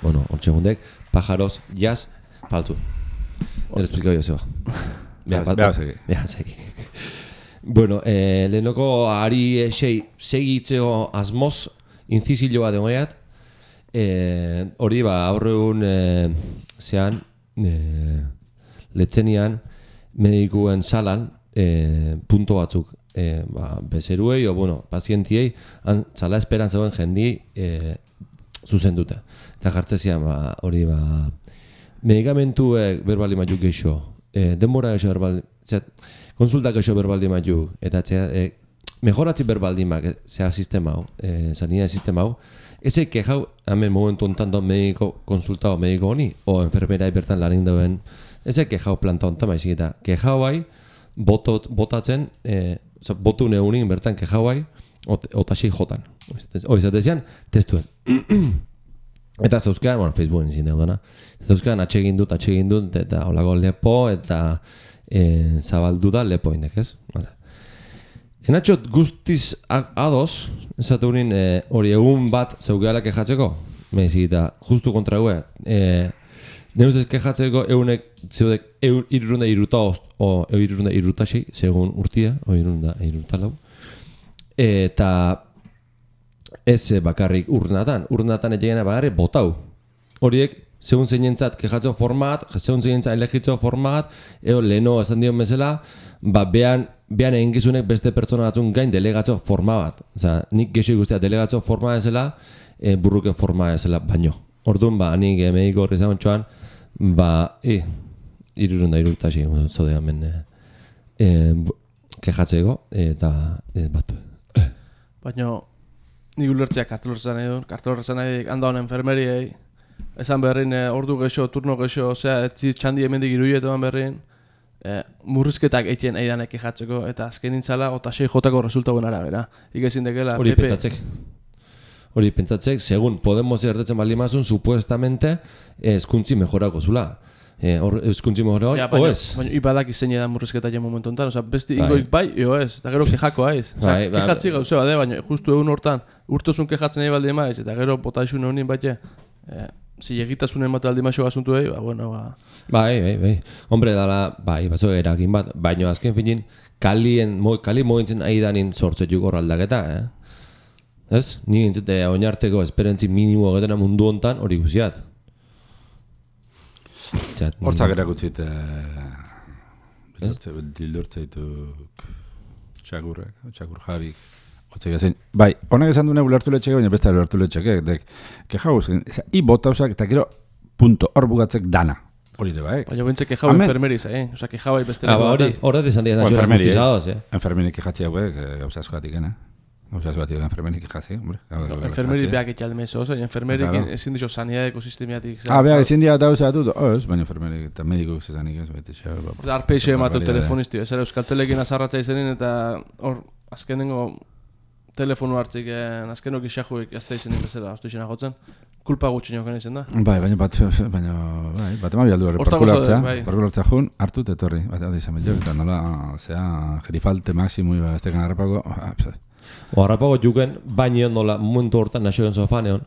Speaker 1: bueno, hortxe gundek, pajaros, jaz, faltzu. El explicau jo zeba.
Speaker 2: Beha segi.
Speaker 1: Beha segi. Bueno, eh, lehenoko ari esei segitzeo asmoz, inzizilo bat egoiat, eh, hori ba, aurregun eh, zean, eh, letzenian, medikuen salan, eh, punto batzuk, eh, ba, bezeruei, o bueno, pazientiei, zala esperan zegoen jendi eh, zuzen dute. Eta jartzezian, ba, hori ba, medikamentuek berbali matuk geixo, eh, denbora geixo berbali, zet, konsultak geixo berbaldi matuk, eta txea, e, mejoratzi berbaldimak, zea sistema hau, e, sanidad sistema hau, eze kejau, hemen momentu ontan do mediko konsultao mediko honi, o enfermerai bertan lanin dauen, eze kejau planta ontan maizik eta, kejau bai, botot, botatzen, e, botu neunin bertan kejau bai, otasei jotan. Hoi zatezian, testuen. Eta zauzkean, bueno, Facebooken izin daudana, zauzkean atsegin dut, atsegin dut, eta holako lepo, eta E, zabaldu da lepo indek, ez? Vale. Enatxot guztiz ados, esatu unin hori e, egun bat zeugeala kejatzeko, mehizik eta justu kontra gue, e, ne ustez kejatzeko egunek zeudek irurunda iruta ost, o irurunda irutasei, segun urtia, o irurunda iruta lau, eta ez bakarrik urnatan, urnatan egena bakarrik botau, horiek segun zeinentzat kejatzeo format, segun zeinentzat elegitzeo format, eo leheno esan dion bezala, ba behan, behan egin gizunek beste pertsona batzun gain delegatzeo forma bat. Osa, nik gexo ikustea delegatzeo forma ezela, e, burruke forma ezela baino. Orduan, ba, nik e, mediko horri zagoen txoan, ba, e, irurunda irurtasi, zode hemen e, e, kejatzeko, eta e, bat.
Speaker 3: Baina, nik ulertzeak kartelorretzan nahi duen, kartelorretzan nahi handaun enfermeriei, esan berrin, eh, ordu gexo, turno gexo, osea, etzi txandi hemendik iruiet eman berrin, eh, murrizketak eitien eidanek ejatzeko, eta azken nintzala, ota sei jotako resultauen arabera. Ikezin dekela,
Speaker 1: hori pentsatzek. Hori pentsatzek, segun Podemos erdetzen bali mazun, supuestamente, eskuntzi mejorako zula. Eh, or, eskuntzi mejorako, ja, o ez?
Speaker 3: Baina, ipadak izen edan murrizketa jen momentu enten, osea, besti ingoik bai, eo ez, eta gero kejako aiz. Osea, bai, kejatzi gauze bade, baina justu egun hortan, urtozun kejatzen nahi baldi emaiz, eta gero botaixun honin baite, eh, si egitasunen mate aldi maixo gazuntu egin, ba, bueno, ba...
Speaker 1: Bai, bai, bai. Hombre, dala, bai, bazo erakin bat, baina azken finin, kalien, mo, kali mogintzen aidanin sortzetuk horraldaketa, eh? Ez? Ni gintzete oinarteko esperentzi minimo getena mundu hontan hori guziat.
Speaker 2: Hortzak erakutsit, dildortzaituk txakurrek, txakur jabik. Bai, honek esan dune ulertu letxeke, baina besta ulertu letxeke. Keja guzien, i bota usak, eta gero, punto, hor bugatzek dana. Hori de baek.
Speaker 3: Baina bentze keja enfermeriz, eh? Osa, keja bai beste lego
Speaker 1: bat. Horret izan dira nazio ermustizados, eh?
Speaker 2: Enfermeri kejatzi hauek, gauza askoatik, eh? Gauza askoatik, enfermeri kejatzi, hombre.
Speaker 3: Enfermeri beak etxalde meso, oza, enfermeri ezin dizo sanidad ekosistemiatik.
Speaker 2: Ah, beak ezin dira eta gauza dut, oz, baina enfermeri eta mediko zezanik ez, baita xa.
Speaker 3: Arpeixe ematu telefonisti, ez era euskaltelekin azarratza izenin, eta hor, azkenengo telefonu hartzik, azkenok isajuik azte izenin bezala, oztu izena jotzen. Kulpa gutxi nioken izan da.
Speaker 2: Bai, baina bat, baina, bai, bat ema bialdu hori, parkula hartzea, parkula hartzea jun, hartu tetorri, bat da izan betxo, eta nola, zea, gerifalte maksimui, ba, ez tekan harrapako,
Speaker 1: o harrapago juken, baino nola, momentu hortan nasioen sofaneon.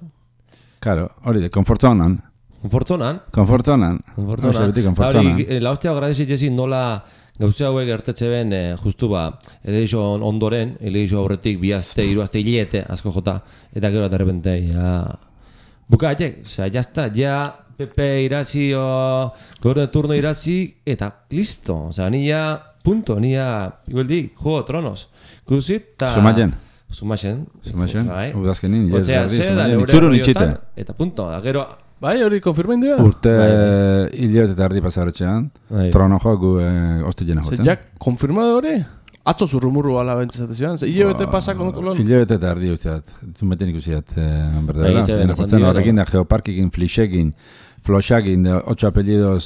Speaker 2: Karo, hori de, konfortzonan.
Speaker 1: Konfortzonan?
Speaker 2: Konfortzonan.
Speaker 1: Konfortzonan. Konfortzonan. La hostia agradezi jesi nola, gauze hauek gertetze ben, eh, justu ba, elegizio ondoren, elegizio aurretik, bi azte, hiru azte, hilete, asko jota, eta gero eta repente, ja... Buka, atek, oza, jazta, ja, Pepe irazi, o, gorde turno irazi, eta listo, oza, nia, punto, nia, igualdik, Juego de Tronos, kuzit, eta...
Speaker 2: Sumatzen.
Speaker 1: Sumatzen.
Speaker 2: Sumatzen, udazkenin,
Speaker 1: otzea, ze, da, neure horriotan, eta punto, da, gero...
Speaker 3: Bai, hori konfirmain dira?
Speaker 2: Urte hilabete eta erdi pasarotxean, trono joak gu osti jena jotzen.
Speaker 3: Zer, jak, konfirmado hori? Atzo zurrumurru ala bentzizate zian? Zer, hilabete pasak ondoko lon?
Speaker 2: Hilabete eta erdi usteat, zumeten ikusiat, berdela. Jena horrekin da, geoparkikin, flixekin, floxakin, otxo apellidos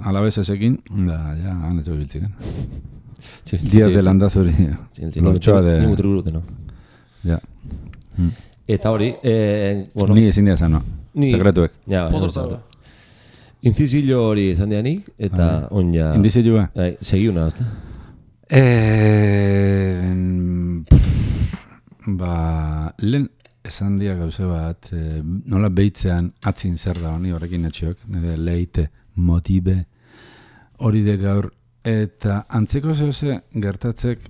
Speaker 2: alabesesekin, da, ja, hanetxo biltziken. Díaz de landazuri, lotxoa de...
Speaker 1: Ni mutrugurute, no?
Speaker 2: Ja.
Speaker 1: Eta hori,
Speaker 2: ni ezin dira zan, no? Sekretuek.
Speaker 1: Ja, bai, Inzizilo hori esan dianik, eta on ja...
Speaker 2: Indizilua?
Speaker 1: Segi una, hasta?
Speaker 2: Ba... Lehen esan dia gauze bat, e, nola behitzean atzin zer da honi horrekin etxiok, nire leite, motibe, hori de gaur, eta antzeko zehose gertatzek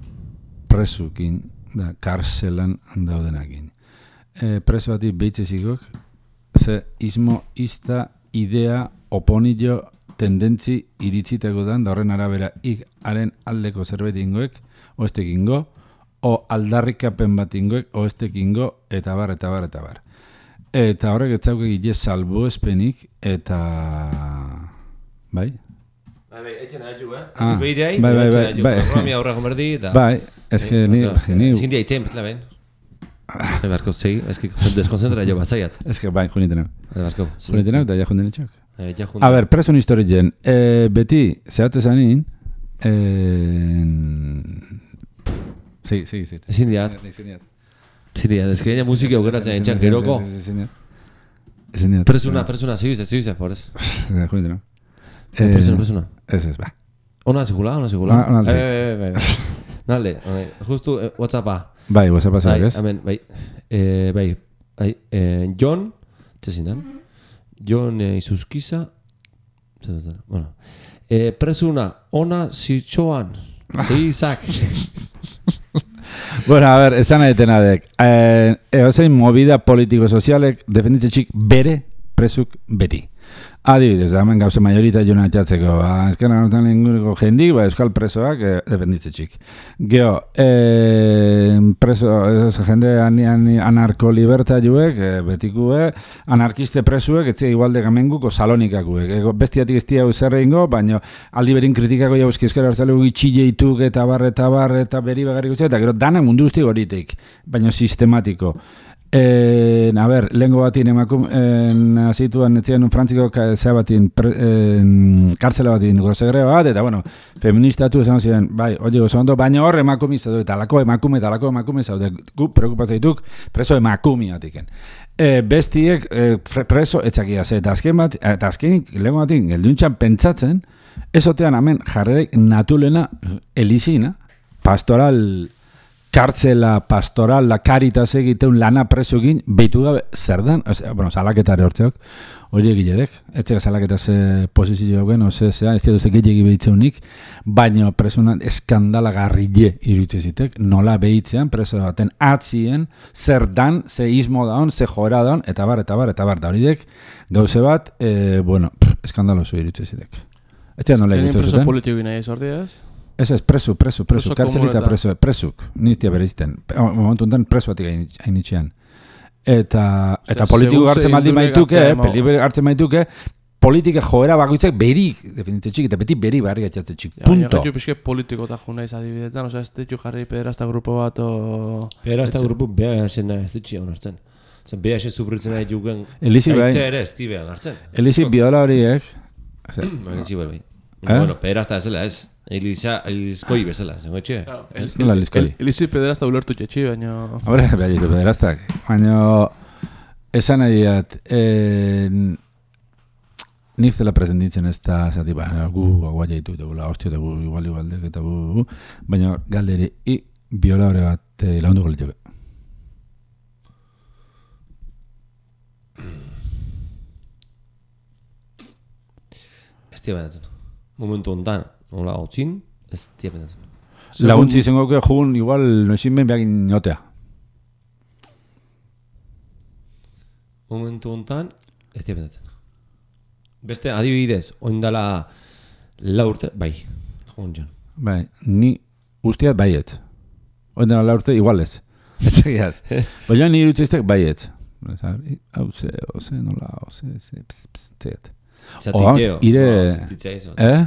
Speaker 2: presukin, da, karselan daudenakin. E, preso bati behitzezikok, ze ismo, izta, idea, oponillo, tendentzi iritziteko dan, da horren arabera ik haren aldeko zerbait ingoek, oestek ingo, o aldarrikapen bat ingoek, oestek ingo, eta bar, eta bar, eta bar. Eta horrek etzauke gile salbo espenik, eta... Bai?
Speaker 1: Bai, bai, etxen haitu, eh?
Speaker 2: Ah,
Speaker 1: Beirei,
Speaker 2: bai, bai, bai,
Speaker 1: bai,
Speaker 2: bai,
Speaker 1: Romi aurra gomerdi, eta...
Speaker 2: Bai, eske ni, eske ni...
Speaker 1: Ezin dia itxein, bezala ben. Ebarko, segi, eski deskonzentra jo bazaiat.
Speaker 2: Eske, bai, juniten hau.
Speaker 1: Ebarko.
Speaker 2: Juniten hau, eta ja junden etxok.
Speaker 1: Eh, ja junten.
Speaker 2: A ber, presun historien, eh, beti, zehatze zanin, eh... Sí, sí, sí.
Speaker 1: Ezin diat. Ezin diat, ez que musika aukeratzen entxan geroko.
Speaker 2: Ezin diat.
Speaker 1: Presuna, presuna, segiuze, segiuze, forez.
Speaker 2: Juniten hau.
Speaker 1: Presuna, presuna.
Speaker 2: Ez ez, ba.
Speaker 1: Ona zikula, ona zikula.
Speaker 2: Ona
Speaker 1: zikula. Bai, bai, bai. Nalde, justu WhatsAppa.
Speaker 2: Bai, WhatsAppa zeak ez.
Speaker 1: Hemen, bai, bai, bai, Jon, txezindan, Jon Izuzkiza, bueno, presuna, ona zitxoan, zehizak.
Speaker 2: Bueno, a ver, esan aetena dek. Eh, Eozein movida politiko-sozialek defenditzetxik bere presuk beti. Adibidez, da hemen gauze majorita jona atxatzeko. Ba, ezken anortan inguruko jendik, ba, euskal presoak eh, defenditzetxik. Geo, eh, preso, ez, jende ani, ani, anarko-libertaiuek, eh, betikue, anarkiste presuek, etzia igualde gamenguko salonikakuek. Ego, bestiatik ez tia zerre ingo, baina aldi berin kritikako jauzki euskara hartzalegu gitxilleituk eta bar, eta bar, eta beri bagarrik utzea, eta gero danak mundu guzti horitek, baina sistematiko. Eh, a ver, lengo batin emakum azituan etzian frantziko zea batin kartzela batin gozegre bat, eta bueno, feministatu esan ziren, bai, oie oso ondo, baina hor emakumizatu, eta lako emakume, eta lako emakume zaude, gu preokupatzaituk preso emakumiatiken. E, bestiek e, preso etzakia ze, eta azken bat, eta azkenik lengo batin gelduntxan pentsatzen, ezotean hemen jarrerek natulena elizina, pastoral kartzela, pastoral, la caritas egiteun lana presoekin, behitu gabe, zer dan? O sea, bueno, salaketare hortzeok, hori egiledek, etzega salaketa ze posizio joken, ose, zean, ez dira gehiagi behitzeunik, baina presunan eskandalagarrile iruditzezitek, nola behitzean, preso baten atzien, zer dan, ze ismo daun, ze jora daun, eta bar, eta bar, eta bar, da horidek, gauze bat, eh, bueno, pff, eskandaloso iruditzezitek. Ez dira nola egitzezitek.
Speaker 3: Preso politiko nahi ez ordiaz?
Speaker 2: Ez ez, presu, presu, presu, karzelita presu, presuk, niztia bereizten. Momentu enten presu batik hainitxean. Eta, eta politiko hartzen maldi maituke, politiko hartzen maituke, politika joera bakoitzak berik, definitetxik, eta beti beri barri gatxatzetxik, punto.
Speaker 3: Ja, pixke politiko eta juna izadibidetan, oza, ez ditxu jarri pederasta grupo bat, o...
Speaker 1: Pederasta grupo beha esena ez ditxia honartzen. Zer, beha esen sufritzen nahi juken,
Speaker 2: Elizi bai.
Speaker 1: Aitze ere ez tibean hartzen.
Speaker 2: Elizi biola horiek.
Speaker 1: Elizi bai bai. Bueno, pederasta ezela ez. Elisa, elizkoi bezala, zengo etxe?
Speaker 2: Nola elizkoi?
Speaker 3: Elizi pederasta ulertu txetxi, baina...
Speaker 2: Hombre, behitu pederastak. Baina, esan nahi diat, nif dela pretenditzen ez da, zati, ba, gu agua jaitu, eta gula, hostia, eta gu igual igualdek, eta gu, baina galderi, i, biola hori bat lagundu golitxoke.
Speaker 1: Ez tia benatzen. Momentu ondan, nola hotzin, ez tia benatzen.
Speaker 2: Laguntzi izango que jugun igual noizin ben behakin notea.
Speaker 1: Momentu ondan, ez tia benatzen. Beste adibidez, oindala la urte, bai, jugun jon.
Speaker 2: Bai, ni ustiat baiet. Oindala la urte igualez. Etzegiat. Baina ni irutzeiztek baiet. Hau ze, oze, nola, oze, ze, pss, pss, tzegat.
Speaker 1: Zatikeo.
Speaker 2: Ire... Eh?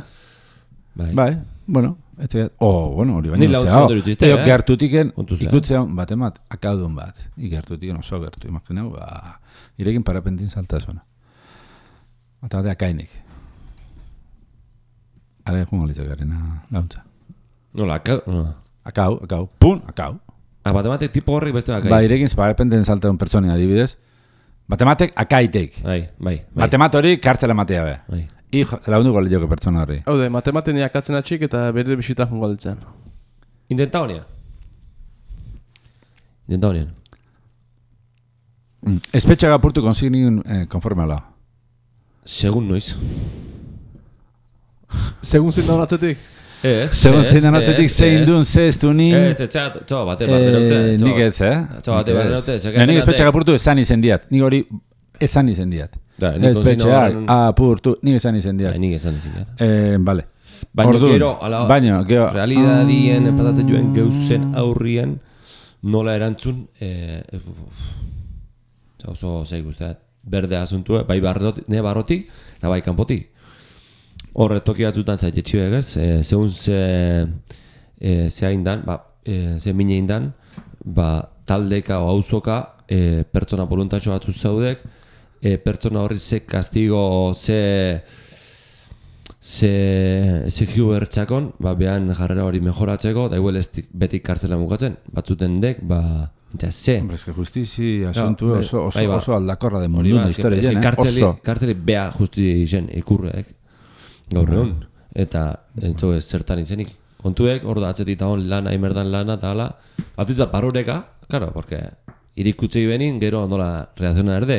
Speaker 1: Bai.
Speaker 2: Bai, bueno, etzegat. Oh, bueno, hori baina.
Speaker 1: Ni lautzu ondo irutzeizte, eh?
Speaker 2: Gertutiken, ikutzean, bat emat, akaudun bat. Igertutiken oso gertu, imagineu, ba, irekin parapentin salta zona. Eta bat akainik. Ara egun galitzak garena launtza.
Speaker 1: Nola, akau? Nola.
Speaker 2: Akau, akau, pun, akau.
Speaker 1: Ah, batematek tipo horrek beste akai.
Speaker 2: Ba, irekin parapentin salta un pertsoni adibidez. Matematek akaitek.
Speaker 1: Bai, bai, bai.
Speaker 2: Matemat hori kartzela matea be.
Speaker 1: Bai.
Speaker 2: Hijo, zela hundu goliteko pertsona horri.
Speaker 3: Hau de, matematen akatzen atxik eta bere bisita jungo ditzen.
Speaker 1: Intenta honia. Intenta honia.
Speaker 2: Espetxaga apurtu konsignin eh, konforme ala.
Speaker 1: Segun noiz.
Speaker 3: Segun zindan atzetik?
Speaker 1: Ez,
Speaker 2: Segun zindan atzetik zein duen zeztu ni...
Speaker 1: Ez, ez, txoa bate bat denote.
Speaker 2: Nik ez, eh?
Speaker 1: Txoa bate bat denote.
Speaker 2: Nik espetxaga apurtu esan izen diat. Nik hori esan izen diat. Espetxaga apurtu, nik esan izen diat.
Speaker 1: Nik esan izen diat.
Speaker 2: Eh, vale.
Speaker 1: Baina gero, ala,
Speaker 2: baina, gero,
Speaker 1: realidadien, empatatzen joen geuzen aurrien, nola erantzun, eh, oso zeik usteat, berde asuntu, bai barrotik, ne barrotik, eta bai kanpotik. Horre toki batzutan zaite txibegez, e, zehun ze, e, ze haindan, ba, e, ze mine haindan, ba, taldeka o auzoka e, pertsona voluntatxo batzu zaudek, e, pertsona horri ze kastigo, ze... ze ze hiu bertxakon, ba, behan jarrera hori mejoratzeko, da igual ez betik kartzela mugatzen, batzuten dek, ba, ja, ze.
Speaker 2: Hombre, es que justizi asuntu no, oso, oso, oso, oso aldakorra de mundu na historia jen, eh?
Speaker 1: Oso. Kartzeli beha justizi jen ikurreek, gaur egun, eta entzo ez zertan izenik. Kontuek, hor da atzetik tagon lana, imerdan lana, eta hala, atitza parureka, claro, porque irikutzei benin, gero ondola reakziona erde,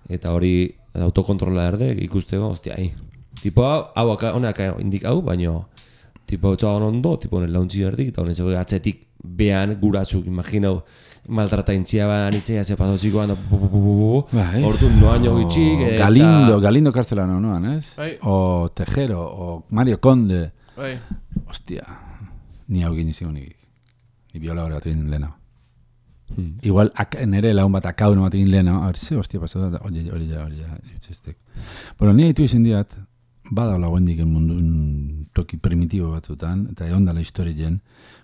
Speaker 1: eta hori autokontrola erde, ikusteko, ostia, ahi. Tipo hau, hau honak indik hau, baino tipo txaban ondo, tipo honen launtzi berdik, eta honen zego atzetik behan guratzuk, imaginau, maltrataintzia badan itxea ze pasozikoan, ordu noaino gitxik, eta...
Speaker 2: Galindo, Galindo kartzela noan, ez? O Tejero, o Mario Conde. Ostia, ni hau gini zigo nik, ni biola hori bat egin lehena. Igual nere lagun bat akaun bat egin lehena, a ver, ze hostia pasatu da, hori ja, hori ja, hori ja, itxestek. Bueno, ni haitu izan diat, badaula guendik mundun toki primitibo batzutan, eta egon dala historien,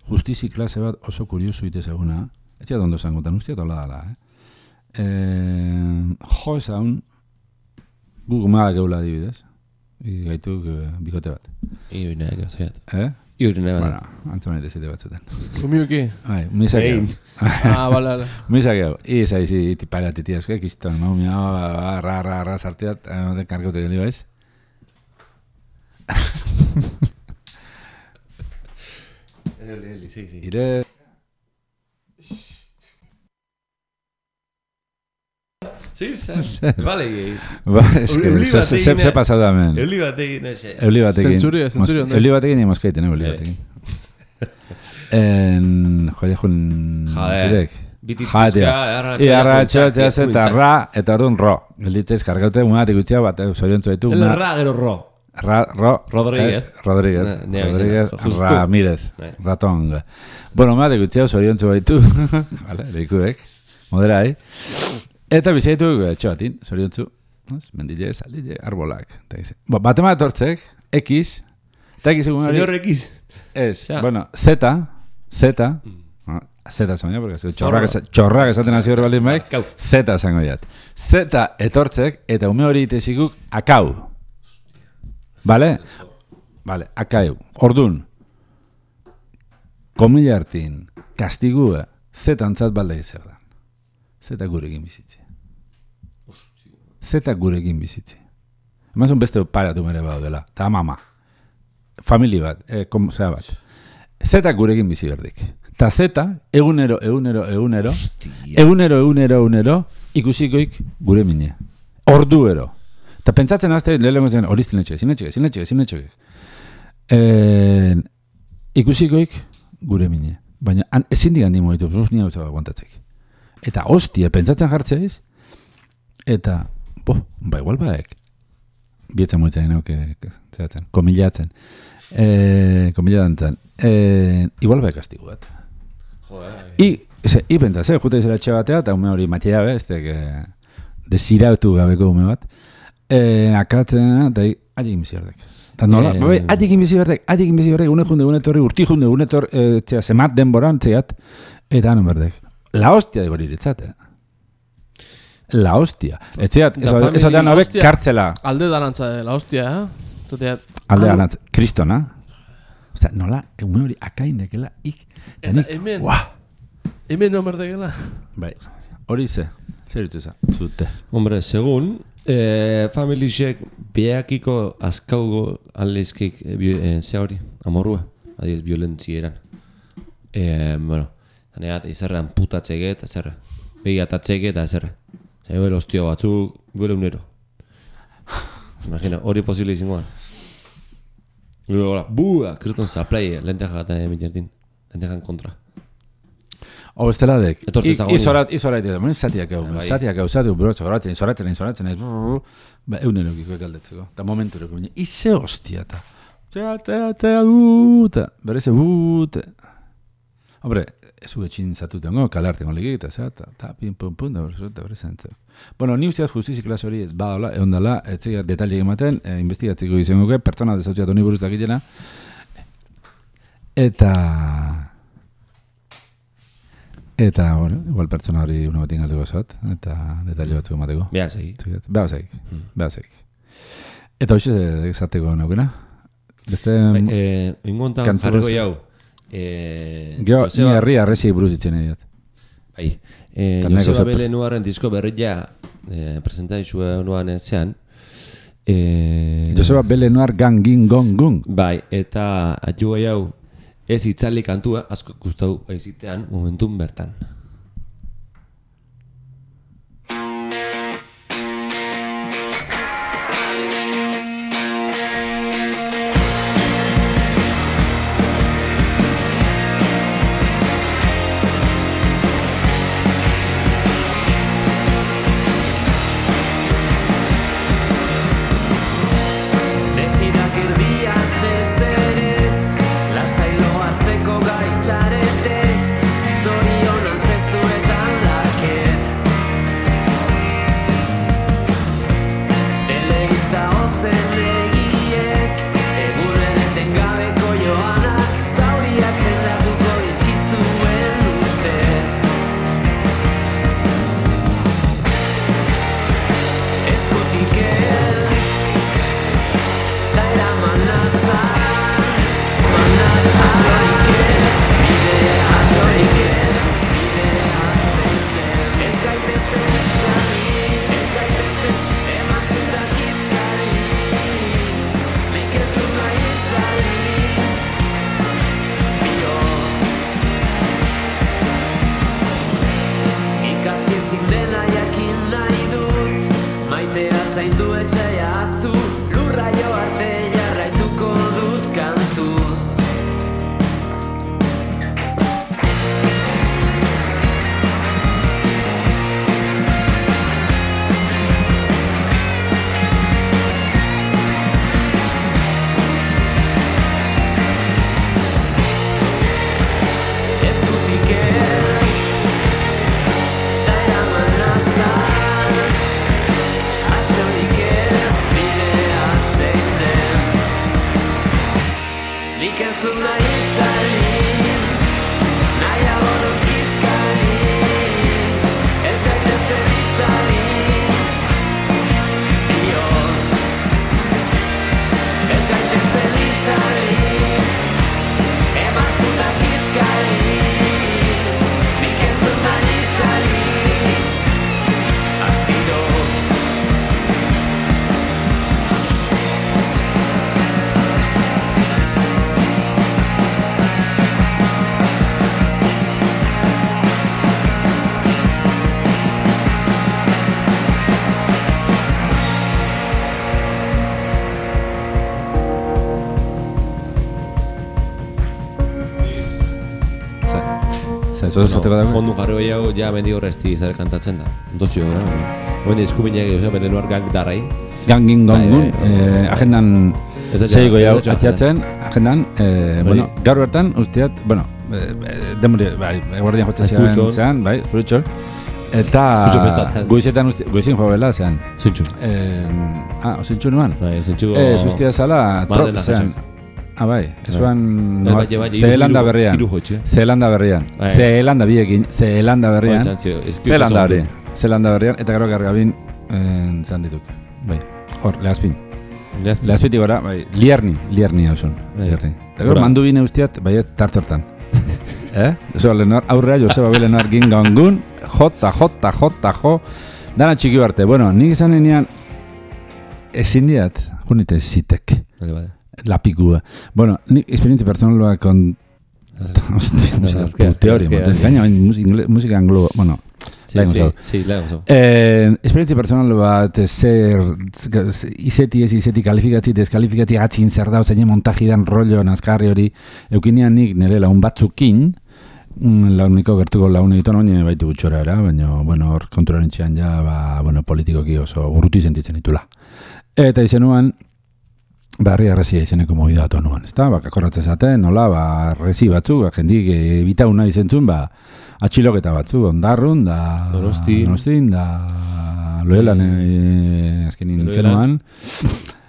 Speaker 2: justizi klase bat oso kuriosu ite seguna, ez ziat ondo zangotan, usteat hola dala, eh? E, jo esan, gu gumadak eula adibidez, gaituk e, bikote bat.
Speaker 1: Ioi nahi gazaiat.
Speaker 2: Eh?
Speaker 1: Ioi nahi
Speaker 2: Bueno, antzaman eta zite batzutan.
Speaker 3: Kumiuki?
Speaker 2: Bai, misak egu.
Speaker 3: Ah, bala, bala.
Speaker 2: Misak egu. Iza izi, iti parati tiazko, ekizton, mau mia, ra, ra, ra, sarteat, de kargote geli baiz.
Speaker 1: Eli, eli, sí, sí.
Speaker 2: Ire...
Speaker 1: Sí, vale, gei.
Speaker 2: Ba, es que se se pasado también.
Speaker 1: Euli batekin, ese.
Speaker 2: Euli batekin.
Speaker 3: Zentzuria, zentzuria.
Speaker 2: Euli batekin y moskeiten, euli batekin. En... Joder, jun... Zirek.
Speaker 1: Bitituzka,
Speaker 2: arratxa, eta ra, eta orduan ro. Gelditzez, kargaute, unatik utxea bat, zoriontzu ditu.
Speaker 1: El ra, gero ro.
Speaker 2: Ra, ro.
Speaker 1: Rodríguez.
Speaker 2: Rodríguez. Rodríguez. Ramírez. Ratong. Bueno, unatik utxea, zoriontzu baitu. Vale, leikuek. Moderai. Eta bizaitu etxoatin, zoriontzu. Mendile, saldile, arbolak. Batema etortzek, X. Eta X egun hori...
Speaker 1: Señor X.
Speaker 2: Ez, bueno, Z. Z. Z zango porque txorrak esaten hasi hori baldin baik. Z zango jat. Z etortzek, eta ume hori itezikuk akau. Vale? Vale, akau. Ordun. Komila hartin, kastigua, Z antzat balde zer da. Z gurekin bizitze. Z gurekin bizitze. Emazun beste paratu mere bau dela. Ta mama. Famili bat, eh, kom, zera bat. Z gurekin bizi berdik. Ta Z, egunero, egunero, egunero, egunero, egunero, egunero, ikusikoik gure mine. Orduero. Ta pentsatzen azte, lehenko zen, hori zinetxek, zinetxek, zinetxek, zinetxek. Eh, ikusikoik gure mine. Baina ezin digan dimo ditu, zuz nia hau aguantatzek. Eta hostia, pentsatzen jartzeiz, eta, bo, ba, igual baek, bietzen moetzen, no, que, que, zeratzen, komilatzen, eh, komilatzen, eh, igual baek kastigu bat.
Speaker 1: Joder.
Speaker 2: I, ze, i pentsaz, eh, jute izela etxe batea, eta ume hori matia be, este, que, desirautu gabeko ume bat, eh, akatzen, eta hi, adik imizi berdek. Eta nola, eh, bai, adik imizi berdek, adik imizi berdek, une junde, une torri, urti junde, une torri, eh, txea, zemat denboran, txeat, eta anon berdek. La hostia de boriretzat, eh? La hostia. Etxeat, eso da nobek kartzela.
Speaker 3: Alde darantza, la hostia, eh? Zoteat.
Speaker 2: Alde darantza. Kristona. Osta, nola, egun hori akaindekela, ik.
Speaker 3: Eta hemen, hemen no merdekela.
Speaker 2: Bai, hori ze, zer itza, zute.
Speaker 1: Hombre, segun, eh, familisek beakiko azkaugo aldeizkik eh, ze hori, amorrua, adiez, violentzieran. Eh, bueno, zaneat, izerrean putatzege eta zerre. Begiatatzege eta zerre. Ebel hostio batzuk, bere unero. Imagina, hori posible izangoan. Gero, hola, bua, kriston zaplai, lenteja eta emiterdin. Lentejan kontra.
Speaker 2: O besteladek,
Speaker 1: izorat,
Speaker 2: izorat, izorat, zatiak hau, zatiak hau, zatiak hau, zoratzen, zoratzen, zoratzen, ba, eunerokiko ekaldetzeko, eta momentureko baina, ize hostia, eta, tea, tea, tea, buuta, bereze, buuta. Hombre, ez uge txin zatutengo, kalartengo legik, eta zata, eta, pin, pun, pun, da bereze entzeko. Bueno, ni usteaz justizi klase hori, badala, egon dala, etxeak detaliek ematen, investigatzeko izango ge, pertsona dezautziat honi buruztak itena, eta... Eta, bueno, igual pertsona hori una batin galduko zot, eta detalle batzuk emateko.
Speaker 1: Beha segi.
Speaker 2: Beha segi, beha segi. Eta hoxe egizateko naukena? Beste...
Speaker 1: Ingontan jarriko jau.
Speaker 2: Geo, ni herri arrezi buruz ditzen ediat.
Speaker 1: Bai. Joseba Bele Nuaren disko berria presentaitzua nuan zean.
Speaker 2: Joseba Bele Nuar gang gin gong gung.
Speaker 1: Bai, eta atxuga jau ez itzali kantua, asko gustau baizitean, momentun bertan. Fondu jarri gehiago, ja mendi horrezti zer kantatzen da. Dozio, gara. Oen eskubinak egitea, bere nuar gang darrai.
Speaker 2: Gangin gongun, agendan zeiko jau atiatzen, agendan, bueno, gaur bertan, usteat, bueno, demori, bai, eguardian jotzen zean, bai, Zurutxol. Eta goizetan, goizin joa bela zean.
Speaker 1: Zintxu.
Speaker 2: Ah, zintxu nuan?
Speaker 1: Bai, zintxu.
Speaker 2: Zuztia zala, trop zean. Ah, bai, esuan Zeelanda berrian, Zeelanda berrian, Zeelanda biekin, Zeelanda berrian, Zeelanda hori, Zeelanda berrian, eta gero gargabin zan dituk, bai, hor, lehazpin. Lehazpitik gora, bai, lierni, lierni hau zon, lierni. Eta gero mandu bine ustiat, bai, tartortan. Eh? Eso, Lenoir, aurrea, Joseba B. Lenoir gingangun, jota, jota, jota, jo, dana txiki barte. Bueno, nik izan enean, ezin diat, junite zitek. Vale, vale. La pikua. Bueno, ni esperientzia personal con hostia, teoria, gaina musika anglo, bueno,
Speaker 1: Sí, sí, sí, lehen oso.
Speaker 2: Eh, esperientzia personal bat, zer, izeti ez izeti kalifikatzi, deskalifikatzia gatzin zer da, zein montajidan rollo, nazkarri hori, eukinean nik nire laun batzukin, launiko gertuko laun egiten oine baitu gutxora era, baina, bueno, hor konturaren txean ja, ba, bueno, politikoki oso urruti sentitzen ditula. Eta izenuan, barri arrazia izeneko movida atu anuan, ez da? Ba, kakorratzen zaten, nola, ba, arrezi batzuk, ba, jendik bitauna izentzun, ba, atxiloketa batzuk, ondarrun, da...
Speaker 1: Donosti.
Speaker 2: Donostin, da... Loelan, e, azkenin izenuan.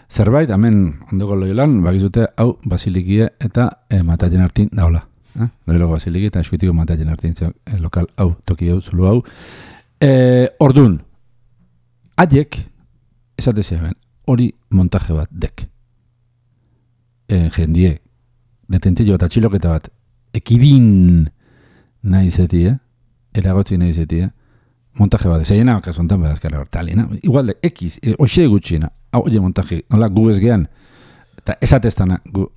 Speaker 2: Zerbait, hemen, ondoko Loelan, bakizute, hau, basilikie eta e, matatzen hartin daula. Eh? Loelako basiliki eta eskuitiko matatzen hartin zeu, e, lokal, hau, toki hau, zulu hau. E, ordun, haiek, esate zeben, hori montaje bat dek. E, jendie, detentzio bat, atxiloketa bat, ekidin nahi zeti, eh? Eragotzi nahi zeti, eh? Montaje bat, zeiena kasu honetan badazkara hortalina. Igual de, ekiz, e, oxe gutxina, hau, oie montaje, nola, gu ez gehan, eta esateztana, gu,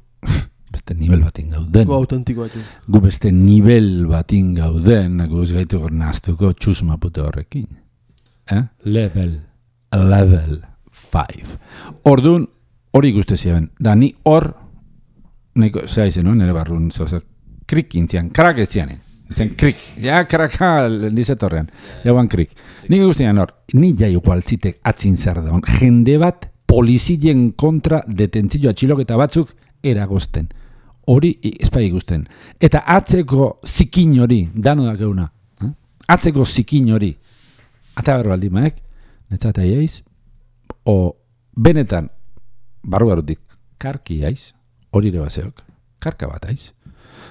Speaker 2: beste nivel batin gauden.
Speaker 3: Gu autentikoa tu.
Speaker 2: Gu beste nivel batin gauden, gu ez gaitu gor naztuko txusma pute horrekin. Eh?
Speaker 1: Level.
Speaker 2: Level five. Orduan, hori guzti ziren. Da, ni hor, nahiko, zera izen, no? Nere barrun, zoza, krik intzian, krak ez zianen. Zen krik, ja kraka dizetorrean, jauan krik. Nik guztian hor, ni ja igualtzitek atzin zer da hon, jende bat polizien kontra detentzio atxiloketa batzuk eragozten. Hori espai ikusten. Eta atzeko zikin hori, dano da geuna, eh? Atzeko zikin hori, eta berro aldi maek, netzata iaiz, o benetan, barru barutik, karki iaiz, hori ere baseok, karka bat aiz.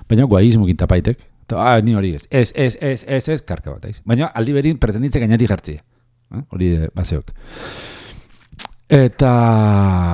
Speaker 2: Baina guaizmukin tapaitek, ah, ni hori ez, ez, ez, ez, ez, ez, karka bat aiz. Baina aldi berin pretenditze gainati jartzia. Eh? Hori de baseok. Eta,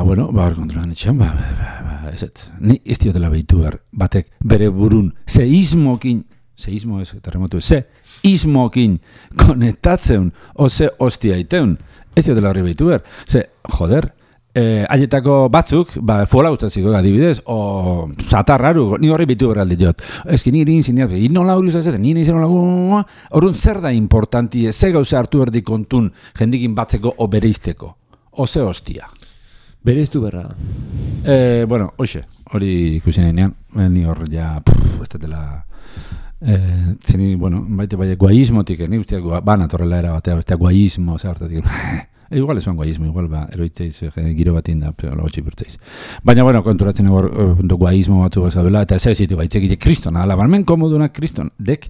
Speaker 2: bueno, ba, hor kontrolan etxean, ba, ba, ba, ez ez. Ni ez diotela behitu behar, batek bere burun, seismokin, seismo ez, terremotu ez, seismokin konektatzen, o ze hostia iteun, ez diotela horri behitu behar. Ze, joder, Eh, haietako batzuk, ba, fola ustaziko adibidez, o zatarraru, ni horri bitu berraldi jot. Ezki niri inzineat, inola hori uzatzen, nire izan hola, horren zer da importanti, ze gauza hartu erdi kontun jendikin batzeko o bereizteko, o ze hostia.
Speaker 1: Bereiztu berra.
Speaker 2: Eh, bueno, hoxe, hori ikusi nahinean, ni hor ja, pff, ez datela... Eh, zini, bueno, baite baina guaizmotik, ni usteak bana torrela era batea, bestea guaizmo, ze hartatik... E, igual esuan guaizmo, igual ba, eroitzeiz, giro bat inda, pero gotxi bertzeiz. Baina, bueno, konturatzen egor guaizmo batzu gazabela, eta ez ezitu baitzekile kristona, alabarmen komodunak kriston, dek,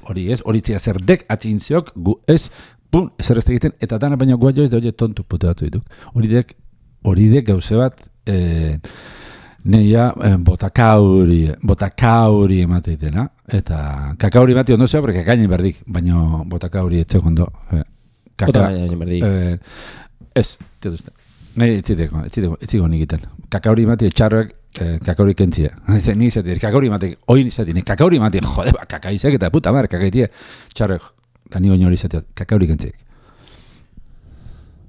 Speaker 2: hori eh, ez, hori zia zer dek, atzintziok, gu ez, pun, ezer ez egiten, eta dana baina guaio ez da hori tontu pute batzu dituk. Hori dek, hori dek gauze bat, eh, neia eh, botakauri, botakauri emateitena, eta kakauri emate ondo zeo, porque kakainen berdik, baina botakauri etxeko ondo, eh, Kaka, eh, ez, tietuzte. Nahi, etziteko, etziteko, etziko nik iten. Kakauri mati etxarroek, eh, kakauri kentzia. Ni izatik, kakauri mati, oin izatik, kakauri mati, jode, ba, kakaizek eta puta mar, kakaitie. Txarroek, eta ni oin hori izatik, kakauri kentziek.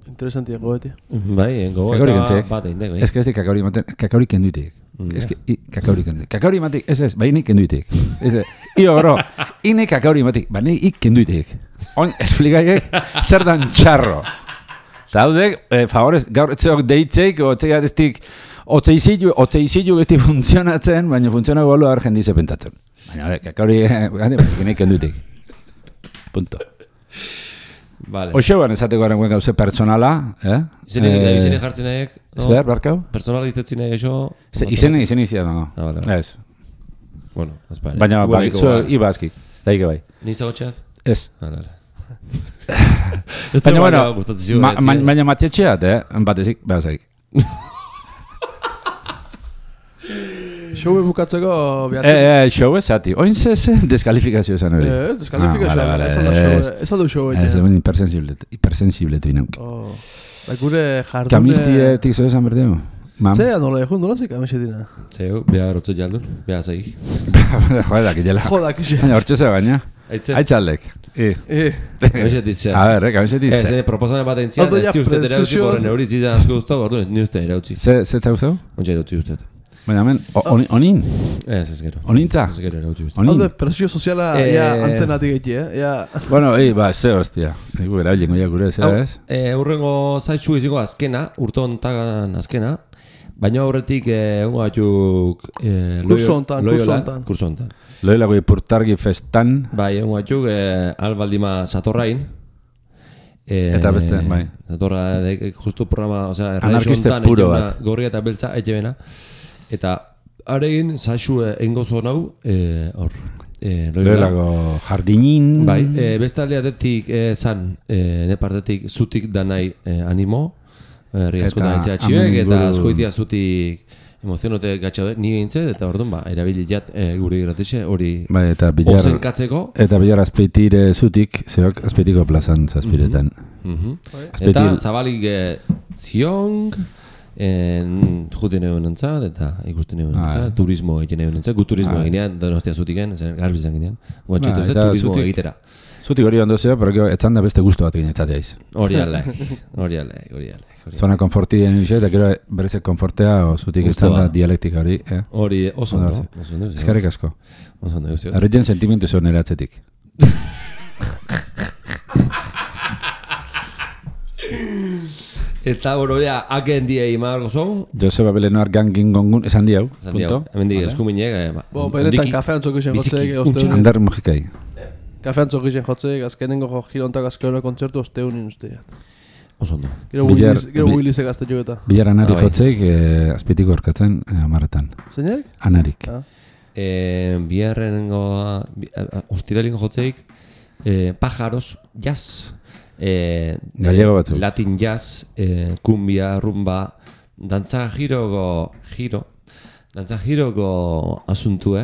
Speaker 3: Interesantia goetia.
Speaker 1: Bai, goetia bat egin dego.
Speaker 2: Ez que ez di kakauri mati, kakauri kenduitik. Ez que, i, kakauri kenduitik. Kakauri mati, ez ez, bai nik kenduitik. Ez ez, io gero, ine kakauri mati, bai nik kenduitik. On, esplikaiek, zer dan txarro. Zaudek, eh, favorez, gaur etzeok deitzeik, otzei adestik, otzeizilu, otzeizilu gesti funtzionatzen, baina funtzionago bolu abar jendize pentatzen. Baina, kakauri, nik kenduitik. Punto.
Speaker 1: Vale.
Speaker 2: Oxeuan esateko garen guen gauze personala, eh?
Speaker 1: Izenek eta izenek jartzen nahiek, no?
Speaker 2: Zer, barkau?
Speaker 1: Personala dizetzen nahi eso...
Speaker 2: Izenek, izenek izan, no?
Speaker 1: Ah, vale, vale.
Speaker 2: Ez.
Speaker 1: Bueno, azpare.
Speaker 2: Baina, bai, zuen, iba azkik, daike bai.
Speaker 1: Niza gotxeat?
Speaker 2: Ez.
Speaker 1: Ah, vale.
Speaker 2: Baina, bueno, baina matietxeat, eh? Batezik, behar zaik.
Speaker 3: Showe bukatzeko bihatzen.
Speaker 2: Eh, eh, showe zati. Oin ze, ze, deskalifikazio esan hori.
Speaker 3: Eh, deskalifikazio, ah, ez aldo showe. Ez aldo showe.
Speaker 2: Ez aldo hipersensible, hipersensible tu inauk.
Speaker 3: Oh, ba, gure jardune...
Speaker 2: Kamiztietik zo esan berdeo?
Speaker 3: Ze, nola egin, nola zik amexetina?
Speaker 1: Zeu, beha rotzo jaldun, beha zaik.
Speaker 2: Jodak, jela.
Speaker 3: Jodak, jela.
Speaker 2: Baina, hortxe ze baina. Aitzaldek.
Speaker 3: Eh.
Speaker 1: Kamizet ditzen.
Speaker 2: A ver, eh, kamizet ditzen.
Speaker 1: Ez, proposamen bat entzian, ez ti uste erautzi, borren euritzi da asko guztu, ordu, ni uste erautzi.
Speaker 2: Ze, ze zau zau?
Speaker 1: Ontsa erautzi uste.
Speaker 2: Baina, men, onin?
Speaker 1: Ez, ez gero.
Speaker 2: Onintza?
Speaker 1: Ez gero erautzi guzti.
Speaker 3: Haude, presio soziala ja antenatik egin, eh?
Speaker 2: Bueno, ei, ba, ze hostia. Egu erabiliko ja gure, zera ez?
Speaker 1: Urrengo zaitzu izango azkena, urtontagan azkena, baina horretik egun batzuk
Speaker 3: kurso hontan, kurso hontan.
Speaker 1: Kurso hontan.
Speaker 2: Loilako ipurtargi festan.
Speaker 1: Bai, egun batzuk albaldima satorrain.
Speaker 2: Eta beste, bai.
Speaker 1: Satorra, justu programa, osea,
Speaker 2: anarkiste puro bat.
Speaker 1: Gorria eta beltza, etxe bena. Eta aregin, zaixu egingo zuen hau, hor.
Speaker 2: Loilako jardinin.
Speaker 1: Bai, beste aldeatetik zan, ne partetik zutik danai animo. Herri askotan aitzea txibek, eta askoitia zutik emozionote gatxaude, ni gintzen, eta orduan, ba, erabili jat guri gratixe, hori ozenkatzeko.
Speaker 2: Eta bilar azpeitire zutik, zeok azpeitiko plazan zazpiretan.
Speaker 1: Eta zabalik ziong, juten egon entzat, eta ikusten egon entzat, turismo egin egon entzat, gu turismo eginean, donostia zutiken, garbizan ginean, guatxetu ez, turismo egitera.
Speaker 2: Zutik hori ondo zeo, pero etzan da beste guztu bat egin etzateaiz.
Speaker 1: Hori alai, hori alai, hori alai.
Speaker 2: Zona konforti den bixe, eta gero berezek konfortea, o zutik etzan da dialektika hori.
Speaker 1: Hori, oso ondo.
Speaker 2: Eskerrik asko.
Speaker 1: Oso ondo.
Speaker 2: Arretzen sentimentu zuen eratzetik.
Speaker 1: Eta boro, ja, haken diei magarko zau?
Speaker 2: Joseba Belenoar gangin gongun, esan di hau, punto.
Speaker 1: Hemen di, eskuminek.
Speaker 3: Bo, benetan kafean txokizien jotzeek.
Speaker 2: Ander Mujikai.
Speaker 3: Kafean txokizien jotzeek, azkenengo girontak azkenengo kontzertu osteunin usteak.
Speaker 1: Oso ondo.
Speaker 3: Gero Willise gazte jogeta.
Speaker 2: Bilar anarik jotzeik, azpitiko orkatzen, amaretan.
Speaker 3: Zeinek?
Speaker 2: Anarik.
Speaker 1: Biarrengo, ustiralingo jotzeik, pájaros, jazz.
Speaker 2: Gallego batzu.
Speaker 1: Latin jazz, kumbia, rumba, dantza giroko, giro, dantza giroko asuntue,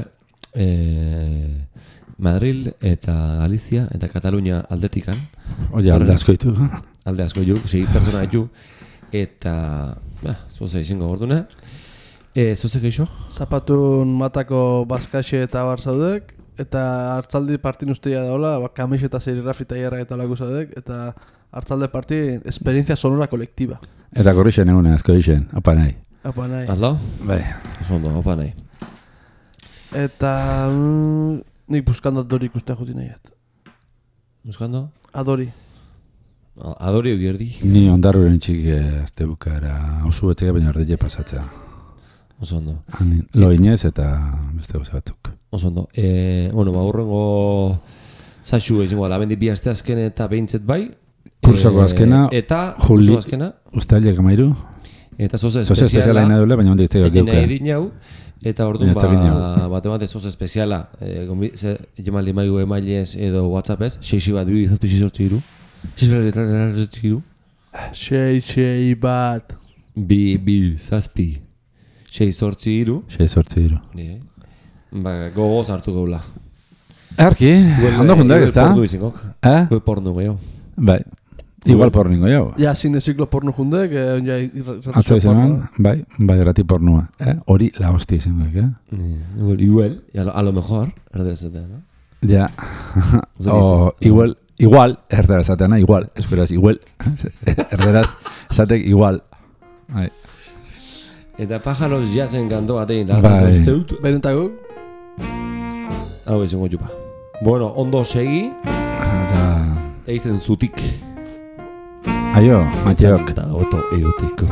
Speaker 1: Madril eta Galizia eta Katalunia aldetikan.
Speaker 2: Oia, alde asko ditu.
Speaker 1: Alde asko ditu, sei pertsona ditu. Eta, zoze izango gorduna. Zoze geixo?
Speaker 3: Zapatun matako bazkaxe eta bar zaudek. Eta hartzaldi partin ustea daola, kamiseta serigrafita hierra eta lagu zaudek. Eta hartzalde parti, esperientzia sonora kolektiba.
Speaker 2: Eta gorrixen egune, asko dixen, apa nahi.
Speaker 3: Apa nahi.
Speaker 1: Azlo?
Speaker 2: Bai.
Speaker 1: Oso ondo, apa nahi.
Speaker 3: Eta... Nik buskando Adori ikustea joti nahiat.
Speaker 1: Buskando?
Speaker 3: Adori.
Speaker 1: Adori eugierdi.
Speaker 2: Ni ondarruren txik azte bukara osu etxega baina ardile pasatzea.
Speaker 1: Oso ondo.
Speaker 2: Loinez eta beste gauza batzuk.
Speaker 1: Oso ondo. Bueno, ba, hurrengo zaxu ezingo, labendi bi aste azken eta behintzet bai.
Speaker 2: Kursoko azkena.
Speaker 1: Eta kurso azkena.
Speaker 2: Uztailek amairu.
Speaker 1: Eta zoze
Speaker 2: espeziala. Zoze espeziala ina dule, baina hondi itzeko geukea.
Speaker 1: Egin nahi dinau. Eta orduan bat emate zoz espeziala, jemaldi maigu emailez edo WhatsAppez, seixi bat, bi, zazpi, xizortzi iru. Xizortzi iru.
Speaker 3: Sei, sei bat.
Speaker 1: Bi, bi, zazpi. Xizortzi iru.
Speaker 2: Xizortzi iru.
Speaker 1: Ba, gogoz hartu gaula.
Speaker 2: Erki, ondo jundak ez da?
Speaker 1: Pornu izingok.
Speaker 2: Eh?
Speaker 1: Gue pornu gehiago.
Speaker 2: Bai. Igual porningo jau.
Speaker 3: Ja, zine ziklo porno jundek, ja...
Speaker 2: Atzo izan, bai, bai, grati pornua. Hori la hostia izan duek, eh?
Speaker 1: Igual, a lo mejor, erderezatea, no?
Speaker 2: Ja. Igual, igual, erderezateana, igual, esperaz, igual. Erderaz, esatek, igual.
Speaker 1: Eta pájaros jazen gandoa tein, lagatzen zuzteut.
Speaker 3: Berentako?
Speaker 1: Hau izango jupa. Bueno, ondo segi.
Speaker 2: Eta...
Speaker 1: Eizen zutik.
Speaker 2: Aio, Mateok.
Speaker 1: Eta oto euteko.